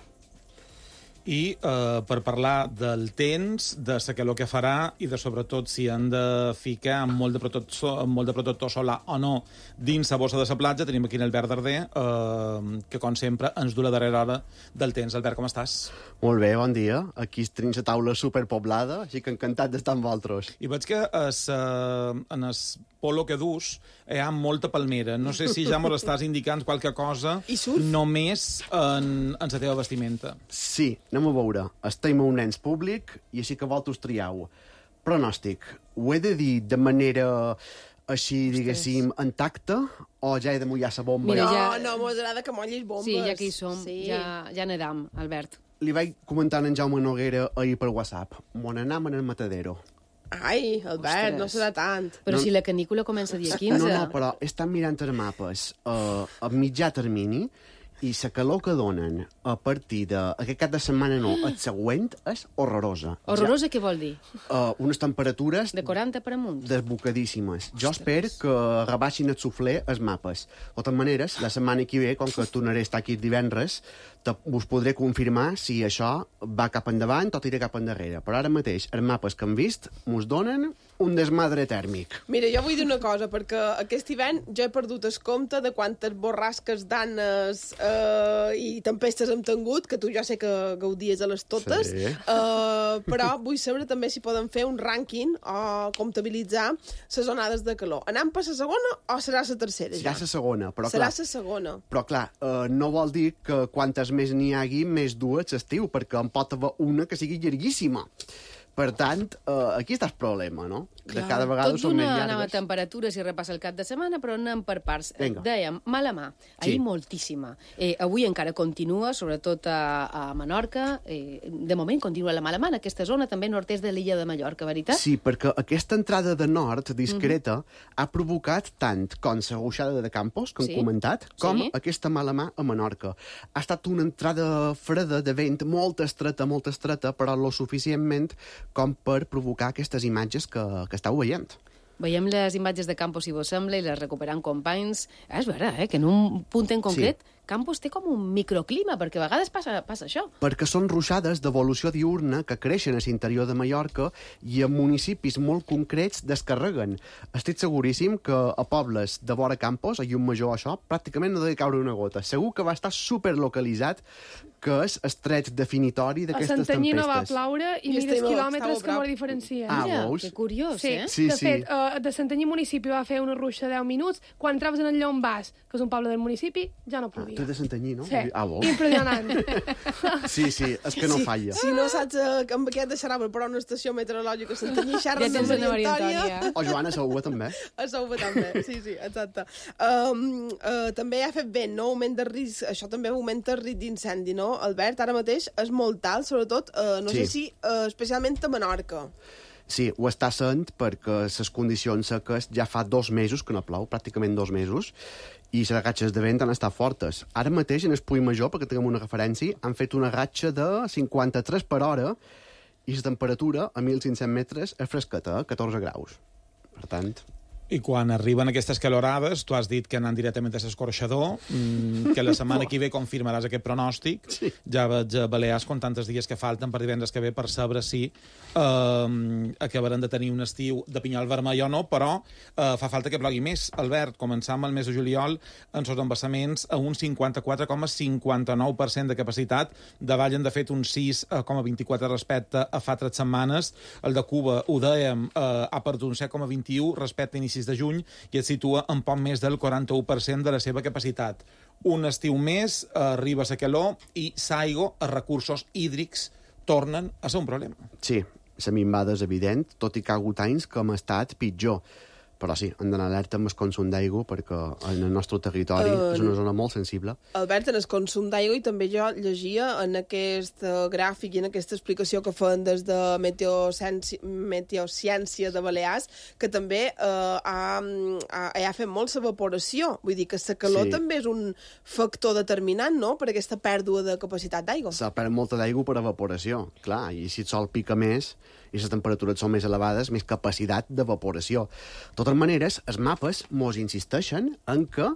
Speaker 6: I eh, per parlar del temps, de la calor que farà i de, sobretot, si han de ficar amb molt de protector, amb molt de protector solar o no dins la bossa de la platja, tenim aquí en Albert Darder, eh, que, com sempre, ens du la darrera hora del temps. Albert, com estàs?
Speaker 21: Molt bé, bon dia. Aquí tenim la taula superpoblada, així que encantat d'estar amb vosaltres.
Speaker 6: I veig que es, eh, en el polo que dus hi ha molta palmera. No sé si ja mos estàs indicant qualque cosa només en, en la teva vestimenta.
Speaker 21: Sí, anem a veure. Estem a un ens públic i així que vosaltres trieu. Pronòstic. Ho he de dir de manera així, diguéssim, intacta o ja he de mullar la bomba?
Speaker 5: Mira, ja... No, no, m'ho agrada que mollis bombes.
Speaker 4: Sí, ja que hi som, sí. ja, ja nedam, Albert.
Speaker 21: Li vaig comentar en Jaume Noguera ahir per WhatsApp. Mon anam en el matadero.
Speaker 5: Ai, Albert, Ostres. No serà tant.
Speaker 4: Però
Speaker 21: no,
Speaker 4: si la canícula comença dia quinze...
Speaker 21: No, no, però estan mirant els mapes uh, a mitjà termini i la calor que donen a partir d'aquest cap de setmana no, el següent és horrorosa.
Speaker 4: Horrorosa ja, què vol dir?
Speaker 21: Uh, unes temperatures...
Speaker 4: De quaranta per amunt.
Speaker 21: Desbocadíssimes. Jo espero que rebaixin el suflé els mapes. De totes maneres, la setmana que ve, com que tornaré a estar aquí divendres, us podré confirmar si això va cap endavant o tira cap endarrere. Però ara mateix, els mapes que hem vist mos donen un desmadre tèrmic.
Speaker 5: Mira, jo vull dir una cosa, perquè aquest hivern jo he perdut el compte de quantes borrasques, danes eh, i tempestes hem tingut, que tu ja sé que gaudies a les totes, sí. eh, però vull saber també si poden fer un rànquing o comptabilitzar les onades de calor. Anem per la segona o serà la tercera?
Speaker 21: Serà la segona, però
Speaker 5: serà
Speaker 21: clar...
Speaker 5: Serà la segona.
Speaker 21: Però clar, eh, no vol dir que quantes més n'hi hagi, més dues l'estiu, perquè en pot haver una que sigui llarguíssima. Per tant, eh, aquí està el problema, no? de cada vegada
Speaker 4: Tot
Speaker 21: són més
Speaker 4: d'una nova
Speaker 21: llargues.
Speaker 4: temperatura si repassa el cap de setmana, però anem per parts.
Speaker 21: Vinga.
Speaker 4: Dèiem, mala mà. Ahir
Speaker 21: Sí.
Speaker 4: moltíssima. Eh, avui encara continua, sobretot a, a Menorca. Eh, de moment continua la mala mà en aquesta zona, també nord-est de l'illa de Mallorca, veritat?
Speaker 21: Sí, perquè aquesta entrada de nord discreta ha provocat tant com la ruixada de Campos, que hem
Speaker 4: Sí.
Speaker 21: comentat, com
Speaker 4: Sí.
Speaker 21: aquesta mala mà a Menorca. Ha estat una entrada freda de vent molt estreta, molt estreta, però lo suficientment com per provocar aquestes imatges que, que esteu veient.
Speaker 4: Veiem les imatges de Campos, si vos sembla, i les recuperant companys. Ah, és vera, eh, que en un punt en concret sí. Campos té com un microclima, perquè a vegades passa, passa això.
Speaker 21: Perquè són ruixades d'evolució diurna que creixen a l'interior de Mallorca i en municipis molt concrets descarreguen. Estic seguríssim que a pobles de vora Campos, a Llum-Major, això, pràcticament no deu caure una gota. Segur que va estar superlocalitzat, que és el tret definitori
Speaker 1: A
Speaker 21: d'aquestes tempestes.
Speaker 1: Santanyí no va ploure i
Speaker 5: I
Speaker 1: mires
Speaker 5: estava-
Speaker 1: quilòmetres
Speaker 5: estava
Speaker 1: que mos
Speaker 5: bravo.
Speaker 1: diferencien.
Speaker 21: Ah,
Speaker 4: Mira,
Speaker 21: veus?
Speaker 4: que curiós,
Speaker 1: Sí,
Speaker 4: eh?
Speaker 21: Sí,
Speaker 1: de
Speaker 21: sí.
Speaker 1: fet, uh, de Santanyí municipi va fer una ruixa de deu minuts. Quan entraves en el Llombàs, que és un poble del municipi, ja no
Speaker 21: Ah,
Speaker 1: plovia.
Speaker 21: tu ets de Santanyí, no?
Speaker 1: Sí,
Speaker 21: Ah, vols?
Speaker 1: impressionant.
Speaker 21: Sí, sí, és que no
Speaker 5: Sí,
Speaker 21: falla.
Speaker 5: Si no saps eh, amb què et deixarà per una estació meteorològica a Santanyí,
Speaker 4: Ja
Speaker 5: xerres
Speaker 4: tens
Speaker 5: amb
Speaker 4: una
Speaker 5: Maria
Speaker 4: Maria
Speaker 5: Antònia.
Speaker 4: Antònia.
Speaker 21: O Joana Saúa, també.
Speaker 5: A Sauva també, sí, sí, exacte. Um, uh, també ha fet vent, no? Augment de risc, això també augmenta el risc d'incendi, no? Albert, ara mateix és molt alt, sobretot, uh, no
Speaker 21: Sí.
Speaker 5: sé si, uh, especialment a Menorca.
Speaker 21: Sí, ho està sent perquè les condicions seques ja fa dos mesos que no plou, pràcticament dos mesos, i les ratxes de vent han estat fortes. Ara mateix, en el Puig Major, perquè tinguem una referència, han fet una ratxa de cinquanta-tres per hora i la temperatura a mil cinc-cents metres és fresqueta, catorze graus. Per tant...
Speaker 6: I quan arriben aquestes calorades, tu has dit que anant directament a l'escorxador, mmm, que la setmana que ve confirmaràs aquest pronòstic. Sí. Ja veig a Balears com tantes dies que falten per divendres que ve per saber si eh, acabaran de tenir un estiu de pinyol vermell o no, però eh, fa falta que plogui més. Albert, començant amb el mes de juliol, en els embassaments a un cinquanta-quatre coma cinquanta-nou per cent de capacitat, davallen de fet un sis coma vint-i-quatre respecte a fa tres setmanes. El de Cuba, ho dèiem, eh, ha perdut un set coma vint-i-u respecte a inicis de juny i es situa en poc més del quaranta-u per cent de la seva capacitat. Un estiu més, eh, arriba la calor i s'aigua, els recursos hídrics tornen a ser un problema.
Speaker 21: Sí, la minvada és evident, tot i que ha hagut anys que hem estat pitjor. Però sí, hem d'anar alerta amb el consum d'aigua perquè en el nostre territori uh, és una zona molt sensible.
Speaker 5: Albert, en el consum d'aigua, i també jo llegia en aquest uh, gràfic i en aquesta explicació que fan des de Meteociència, Meteociència de Balears, que també uh, ha, ha, ha fet molt l'evaporació. Vull dir que la calor
Speaker 21: Sí.
Speaker 5: també és un factor determinant, no?, per aquesta pèrdua de capacitat d'aigua.
Speaker 21: S'ha perd molta d'aigua per evaporació, clar, i si el sol pica més i les temperatures són més elevades, més capacitat d'evaporació. De totes maneres, els mapes mos insisteixen en que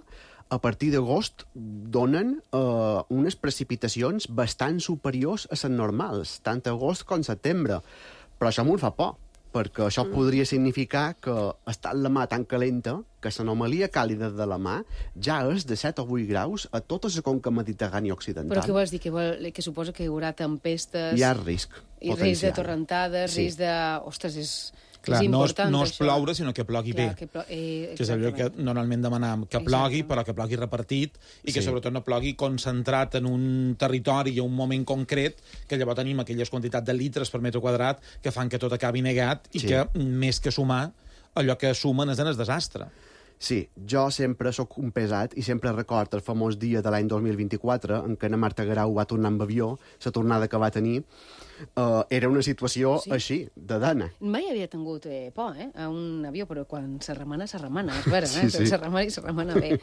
Speaker 21: a partir d'agost donen eh, unes precipitacions bastant superiors a les normals, tant agost com setembre. Però això m'ho fa por, perquè això mm. podria significar que estant la mà tan calenta que l'anomalia càlida de la mà ja és de set o vuit graus a tota la conca mediterrània occidental.
Speaker 4: Però què vols dir? Que, vol, que suposa que hi haurà tempestes...
Speaker 21: Hi ha risc
Speaker 4: I
Speaker 21: potencial.
Speaker 4: risc de torrentades,
Speaker 21: Sí.
Speaker 4: risc de... Ostres, és,
Speaker 6: Clar,
Speaker 4: és
Speaker 6: no és,
Speaker 4: important,
Speaker 6: no és
Speaker 4: això.
Speaker 6: ploure, sinó que plogui
Speaker 4: Clar,
Speaker 6: bé.
Speaker 4: que plo... eh,
Speaker 6: Que és allò que normalment demanam, que plogui, però que plogui repartit i que
Speaker 21: Sí.
Speaker 6: sobretot no plogui concentrat en un territori i un moment concret, que llavors tenim aquelles quantitats de litres per metre quadrat que fan que tot acabi negat i
Speaker 21: Sí.
Speaker 6: que, més que sumar, allò que sumen és en el desastre.
Speaker 21: Sí, jo sempre sóc un pesat i sempre record el famós dia de l'any dos mil vint-i-quatre en què na Marta Garau va tornar amb avió, la tornada que va tenir, uh, era una situació
Speaker 4: Sí.
Speaker 21: sí. així, de dana.
Speaker 4: Mai havia tingut eh, por, eh, a un avió, però quan se remana, se remana, és vera,
Speaker 21: Sí,
Speaker 4: eh?
Speaker 21: sí.
Speaker 4: Se remana i se remana bé.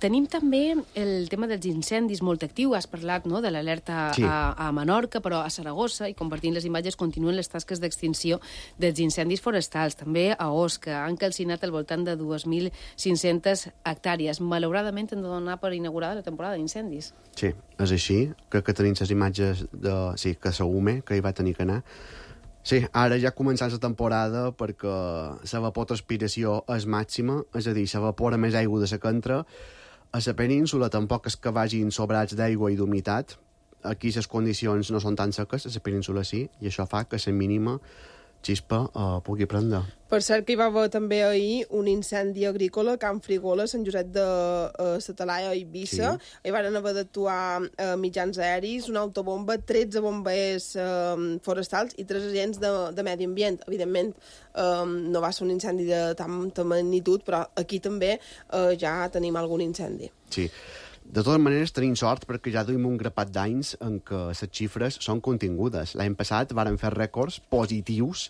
Speaker 4: Tenim també el tema dels incendis molt actiu. Has parlat, no?, de l'alerta
Speaker 21: Sí.
Speaker 4: a, a Menorca, però a Saragossa, i compartint les imatges, continuen les tasques d'extinció dels incendis forestals. També a Osca han calcinat al voltant de dos mil cinc-centes hectàrees. Malauradament hem de donar per inaugurada la temporada d'incendis.
Speaker 21: Sí, és així. Crec que tenim les imatges de... Sí, que Saume, que hi va tenir que anar. Sí, ara ja començant la temporada perquè l'evapotranspiració és màxima, és a dir, s'evapora més aigua de la que entra. A la península tampoc és que vagin sobrats d'aigua i d'humitat. Aquí les condicions no són tan seques, a la península sí, i això fa que la mínima xispa uh, pugui prendre.
Speaker 5: Per cert que hi va haver també ahir un incendi agrícola a Can Frigola, Sant Josep de uh, Satalaia, a Eivissa. Sí. Hi van haver d'actuar uh, mitjans aeris, una autobomba, tretze bombers uh, forestals i tres agents de, de medi ambient. Evidentment, um, no va ser un incendi de tanta magnitud, però aquí també uh, ja tenim algun incendi.
Speaker 21: Sí. De totes maneres, tenim sort perquè ja duim un grapat d'anys en què les xifres són contingudes. L'any passat varen fer rècords positius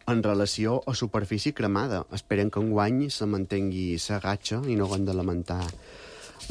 Speaker 21: en relació a superfície cremada. Esperen que enguany se mantengui la gatxa i no haguem de lamentar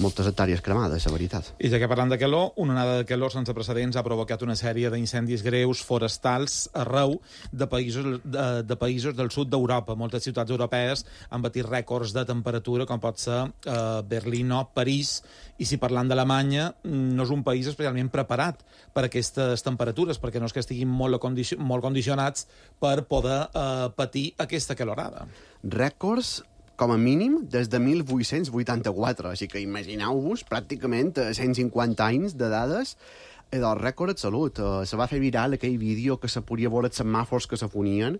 Speaker 21: moltes hectàrees cremades, la veritat.
Speaker 6: I ja que parlant de calor, una onada de calor sense precedents ha provocat una sèrie d'incendis greus forestals arreu de països, de, de països del sud d'Europa. Moltes ciutats europees han batit rècords de temperatura, com pot ser eh, Berlín o París, i si parlant d'Alemanya, no és un país especialment preparat per a aquestes temperatures, perquè no és que estiguin molt, condici molt condicionats per poder eh, patir aquesta calorada.
Speaker 21: Rècords com a mínim, des de mil vuit-cents vuitanta-quatre. Així que imagineu-vos, pràcticament cent cinquanta anys de dades i del rècord de salut. Uh, se va fer viral aquell vídeo que se podia veure els semàfors que se fonien.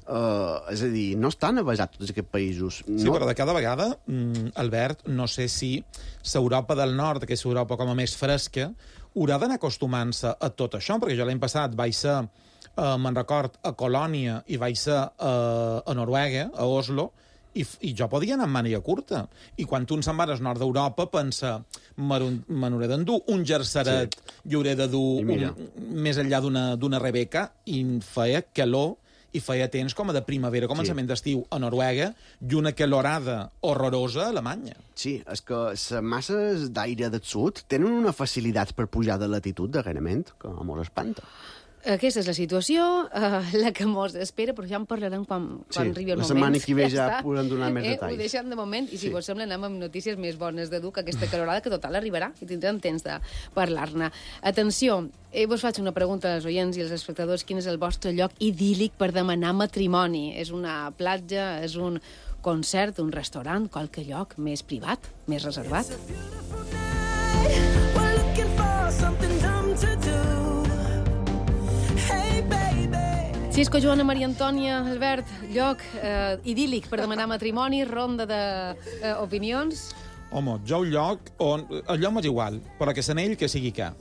Speaker 21: Uh, és a dir, no estan avasats tots aquests països. No...
Speaker 6: Sí, però de cada vegada, mm, Albert, no sé si l'Europa del Nord, que és Europa com a més fresca, haurà d'anar acostumant-se a tot això, perquè jo l'any passat vaig ser, uh, me'n record, a Colònia i vaig ser uh, a Noruega, a Oslo, I, i jo podia anar amb màniga curta. I quan tu se'n vas al nord d'Europa, pensa, me n'hauré d'endur un jerseret, sí. I hauré de dur un, més enllà d'una Rebeca, i feia calor, i feia temps com a de primavera, començament sí. d'estiu a Noruega, i una calorada horrorosa a Alemanya.
Speaker 21: Sí, és que les masses d'aire del sud tenen una facilitat per pujar de latitud, darrerament, que mos espanta.
Speaker 4: Aquesta és la situació, uh, la que mos espera, però ja en parlarem quan, quan
Speaker 21: sí,
Speaker 4: arribi el moment.
Speaker 21: La setmana que ve ja, ja podem donar més
Speaker 4: eh,
Speaker 21: detalls.
Speaker 4: Ho deixem de moment, i si
Speaker 21: sí.
Speaker 4: vos sembla anem amb notícies més bones de dur que aquesta calorada, que total arribarà, i tindrem temps de parlar-ne. Atenció, eh, vos faig una pregunta als oients i als espectadors, quin és el vostre lloc idíl·lic per demanar matrimoni? És una platja, és un concert, un restaurant, qualque lloc més privat, més reservat? Xisco, Joana, Maria Antònia, Albert, lloc eh, idíl·lic per demanar matrimoni, ronda d'opinions. De, eh,
Speaker 6: Home, jo un lloc on... El lloc m'és igual, però que s'anell que sigui ca.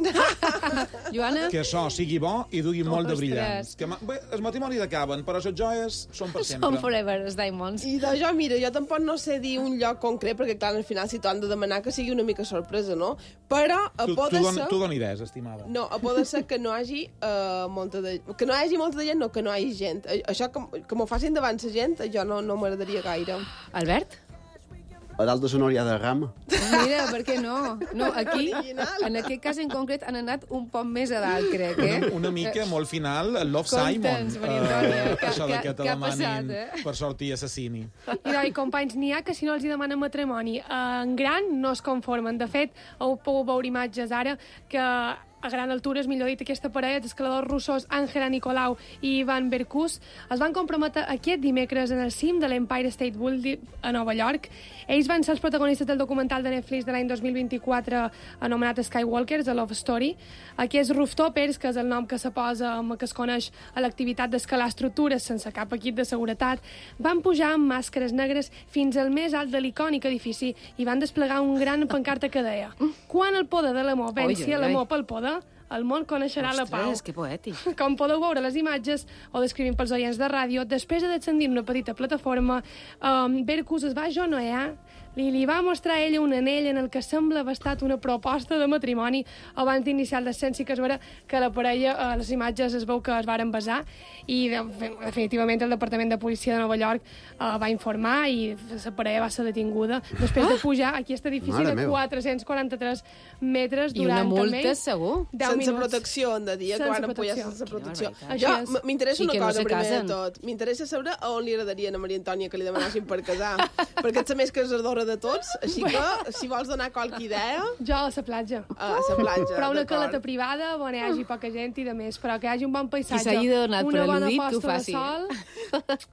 Speaker 4: Joana?
Speaker 6: Que això sigui bo i dugui molt de
Speaker 4: Ostres.
Speaker 6: brillants. Que, bé, els matrimonis acaben, però les joies són per sempre.
Speaker 4: Són forever, els diamonds.
Speaker 5: I de jo, mira, jo tampoc no sé dir un lloc concret, perquè clar, al final si t'ho han de demanar que sigui una mica sorpresa, no? Però a
Speaker 6: tu,
Speaker 5: poder
Speaker 6: tu,
Speaker 5: ser...
Speaker 6: Tu d'on estimada?
Speaker 5: No, a poder ser que no hagi uh, molta de... Que no hi hagi molta de gent, no, que no hi hagi gent. Això que, que m'ho facin davant la gent, jo no, no m'agradaria gaire.
Speaker 4: Albert?
Speaker 21: A dalt de Sonòria de Rama.
Speaker 4: Mira, per què no? No, aquí, en aquest cas en concret, han anat un poc més a dalt, crec, eh?
Speaker 6: Una, una mica molt final, el Love Simon. Uh, això de que te demanin eh? per sortir assassini.
Speaker 1: I, i companys, n'hi ha que si no els hi demanen matrimoni en gran no es conformen. De fet, heu pogut veure imatges ara que a gran altura, és millor dit, aquesta parella d'escaladors russos Angela Nicolau i Ivan Berkus es van comprometre aquest dimecres en el cim de l'Empire State Building a Nova York. Ells van ser els protagonistes del documental de Netflix de l'any dos mil vint-i-quatre anomenat Skywalkers, A Love Story. Aquests rooftoppers, que és el nom que se posa amb que es coneix a l'activitat d'escalar estructures sense cap equip de seguretat, van pujar amb màscares negres fins al més alt de l'icònic edifici i van desplegar un gran pancarta que deia: quan el poder de l'amor venci a l'amor pel poder, el món coneixerà
Speaker 4: Ostres,
Speaker 1: la pau.
Speaker 4: Ostres, que poètic.
Speaker 1: Com podeu veure les imatges, o descrivint pels oients de ràdio, després de descendir una petita plataforma, um, Berkus es va ajonoear, li, li va mostrar a ella un anell en el que sembla haver estat una proposta de matrimoni abans d'iniciar el descens. Sí que es veurà que la parella, a les imatges es veu que es varen besar i de, definitivament el Departament de Policia de Nova York uh, va informar i la parella va ser detinguda després de pujar a aquest edifici
Speaker 21: Mare
Speaker 1: de
Speaker 21: meva.
Speaker 1: quatre-cents quaranta-tres metres
Speaker 4: I
Speaker 1: durant
Speaker 4: una multa,
Speaker 1: almenys
Speaker 4: segur?
Speaker 1: deu
Speaker 5: Sense
Speaker 1: minuts.
Speaker 5: protecció, hem de dir,
Speaker 1: Sense
Speaker 5: que van apoyar
Speaker 1: protecció.
Speaker 5: sense protecció.
Speaker 1: Quina
Speaker 5: Jo,
Speaker 1: barbaritat.
Speaker 5: m- m'interessa
Speaker 4: I
Speaker 5: una
Speaker 4: que no
Speaker 5: cosa,
Speaker 4: se
Speaker 5: primer de
Speaker 4: casen.
Speaker 5: tot. M'interessa saber a on li agradaria a Maria Antònia que li demanassin per casar. Perquè ets la més casadora de tots, així que, si vols donar qualque idea...
Speaker 1: Jo a la platja.
Speaker 5: A la platja,
Speaker 1: Però una
Speaker 5: d'acord.
Speaker 1: caleta privada on hi hagi poca gent i de més, però que hi hagi un bon paisatge.
Speaker 4: Qui s'hagi donat per
Speaker 1: una bona
Speaker 4: al·ludit, que ho
Speaker 1: posta de
Speaker 4: faci.
Speaker 1: sol.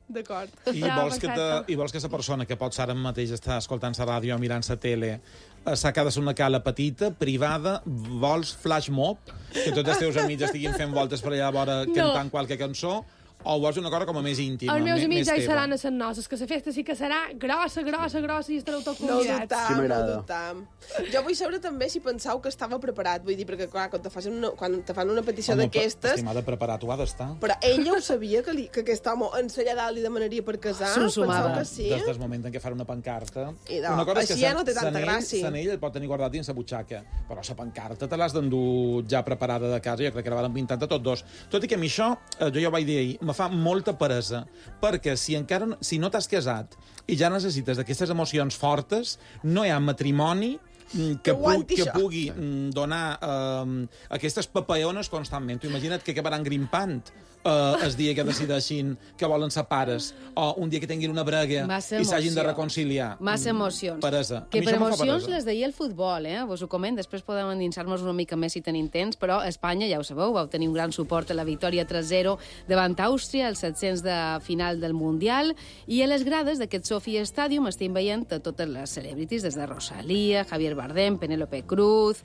Speaker 5: D'acord.
Speaker 6: I
Speaker 1: Ja,
Speaker 6: vols, que te,
Speaker 1: perfecte.
Speaker 6: I vols que la persona que potser ara mateix està escoltant la ràdio o mirant la tele eh, s'ha quedat una cala petita, privada, vols flash mob, que tots els teus amics estiguin fent voltes per allà a vora cantant
Speaker 1: No.
Speaker 6: qualque cançó, O vols una cosa com a més íntima?
Speaker 1: Els meus
Speaker 6: més,
Speaker 1: amics
Speaker 6: més
Speaker 1: ja hi
Speaker 6: teva?
Speaker 1: seran a les noces, que la festa sí que serà grossa, grossa, grossa i estareu tots
Speaker 5: No ho
Speaker 1: convidats.
Speaker 5: dubtam,
Speaker 21: Sí,
Speaker 5: no ho
Speaker 21: m'agrada.
Speaker 5: dubtam. Jo vull saber també si pensau que estava preparat, vull dir, perquè clar, quan te fan una, quan te fan una petició
Speaker 6: Home,
Speaker 5: d'aquestes...
Speaker 6: estimada, preparat ho ha d'estar.
Speaker 5: Però ella ho sabia, que, li, que aquest home en allà dalt li demanaria per casar? Penseu que sí?
Speaker 6: Des del moment en què fan una pancarta...
Speaker 5: I de-
Speaker 6: una cosa és que
Speaker 5: així ja
Speaker 6: Sant-
Speaker 5: no té tanta
Speaker 6: Sant Ell-
Speaker 5: gràcia.
Speaker 6: Sant Ell el pot tenir guardat dins la butxaca, però la pancarta te l'has d'endur ja preparada de casa, jo crec que la van pintar tots dos. Tot i que a mi això, eh, jo ja ho vaig dir ahir, me fa molta peresa, perquè si encara no- si no t'has casat i ja necessites d'aquestes emocions fortes, no hi ha matrimoni mm, que, pu
Speaker 5: aguanti
Speaker 6: que
Speaker 5: això.
Speaker 6: pugui mm, donar eh, aquestes papaones constantment. Tu imagina't que acabaran grimpant eh, el dia que decideixin que volen ser pares, o un dia que tinguin una brega
Speaker 4: Massa
Speaker 6: i s'hagin de
Speaker 4: emoció.
Speaker 6: reconciliar.
Speaker 4: Massa emocions.
Speaker 6: Peresa.
Speaker 4: Que
Speaker 6: A mi
Speaker 4: per
Speaker 6: això em fa
Speaker 4: emocions
Speaker 6: peresa.
Speaker 4: les deia el futbol, eh? Vos ho coment, després podem endinsar-nos una mica més si tenim temps, però Espanya, ja ho sabeu, vau tenir un gran suport a la victòria tres zero davant Àustria, als set-cents de final del Mundial, i a les grades d'aquest Sofia Stadium estem veient a totes les celebrities, des de Rosalía, Javier Bardem, Penélope Cruz...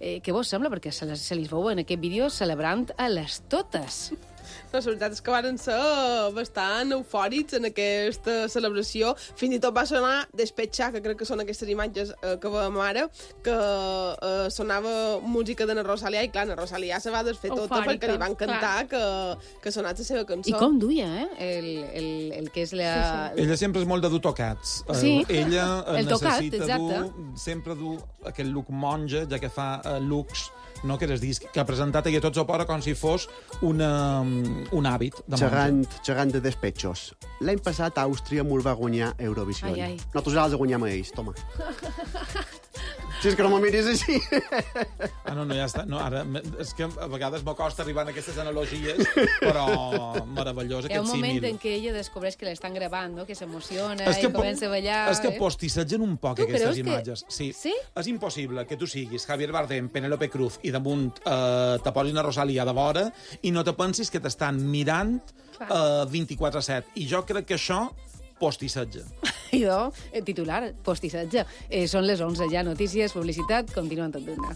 Speaker 4: Eh, què vos sembla? Perquè se les, se les veu en aquest vídeo celebrant a les totes.
Speaker 5: La veritat és que van ser bastant eufòrics en aquesta celebració. Fins i tot va sonar Despetxar, que crec que són aquestes imatges eh, que veiem ara, que eh, sonava música de na Rosalía, i clar, na Rosalía se va desfer tota
Speaker 1: Eufòrica,
Speaker 5: perquè li van cantar que, que sonats la seva cançó.
Speaker 4: I com duia, eh? El, el, el que és la... Sí, sí.
Speaker 6: Ella sempre és molt de dur tocats.
Speaker 4: Sí.
Speaker 6: Eh, Ella
Speaker 4: El tocat,
Speaker 6: necessita
Speaker 4: exacte.
Speaker 6: dur, sempre dur aquest look monja, ja que fa uh, looks, no, que, disc, que ha presentat ella tots a fora com si fos una, un hàbit de monja.
Speaker 21: Xerrant, xerrant de despetxos. L'any passat Àustria mos va guanyar Eurovisió.
Speaker 4: Ai, ai.
Speaker 21: Nosaltres els guanyem a ells, toma. Si és que no me miris així.
Speaker 6: Ah, no, no, ja està. No, ara, és que a vegades m'acosta arribar a aquestes analogies, però meravellós
Speaker 4: Hi ha
Speaker 6: aquest
Speaker 4: un moment
Speaker 6: símil.
Speaker 4: en què ella descobreix que l'estan gravant, no? Que s'emociona
Speaker 6: És que
Speaker 4: i
Speaker 6: po-
Speaker 4: comença a ballar.
Speaker 6: És que
Speaker 4: eh?
Speaker 6: postissetgen un poc
Speaker 4: Tu
Speaker 6: aquestes
Speaker 4: creus que-
Speaker 6: imatges. Sí.
Speaker 4: Sí?
Speaker 6: És impossible que tu siguis Javier Bardem, Penélope Cruz i damunt eh, te posin a Rosalía de vora i no te pensis que t'estan mirant eh, vint-i-quatre set. I jo crec que això postissetja.
Speaker 4: Idò, el titular, postissetge. Eh, són les onze ja, notícies, publicitat, continuen tot d'una.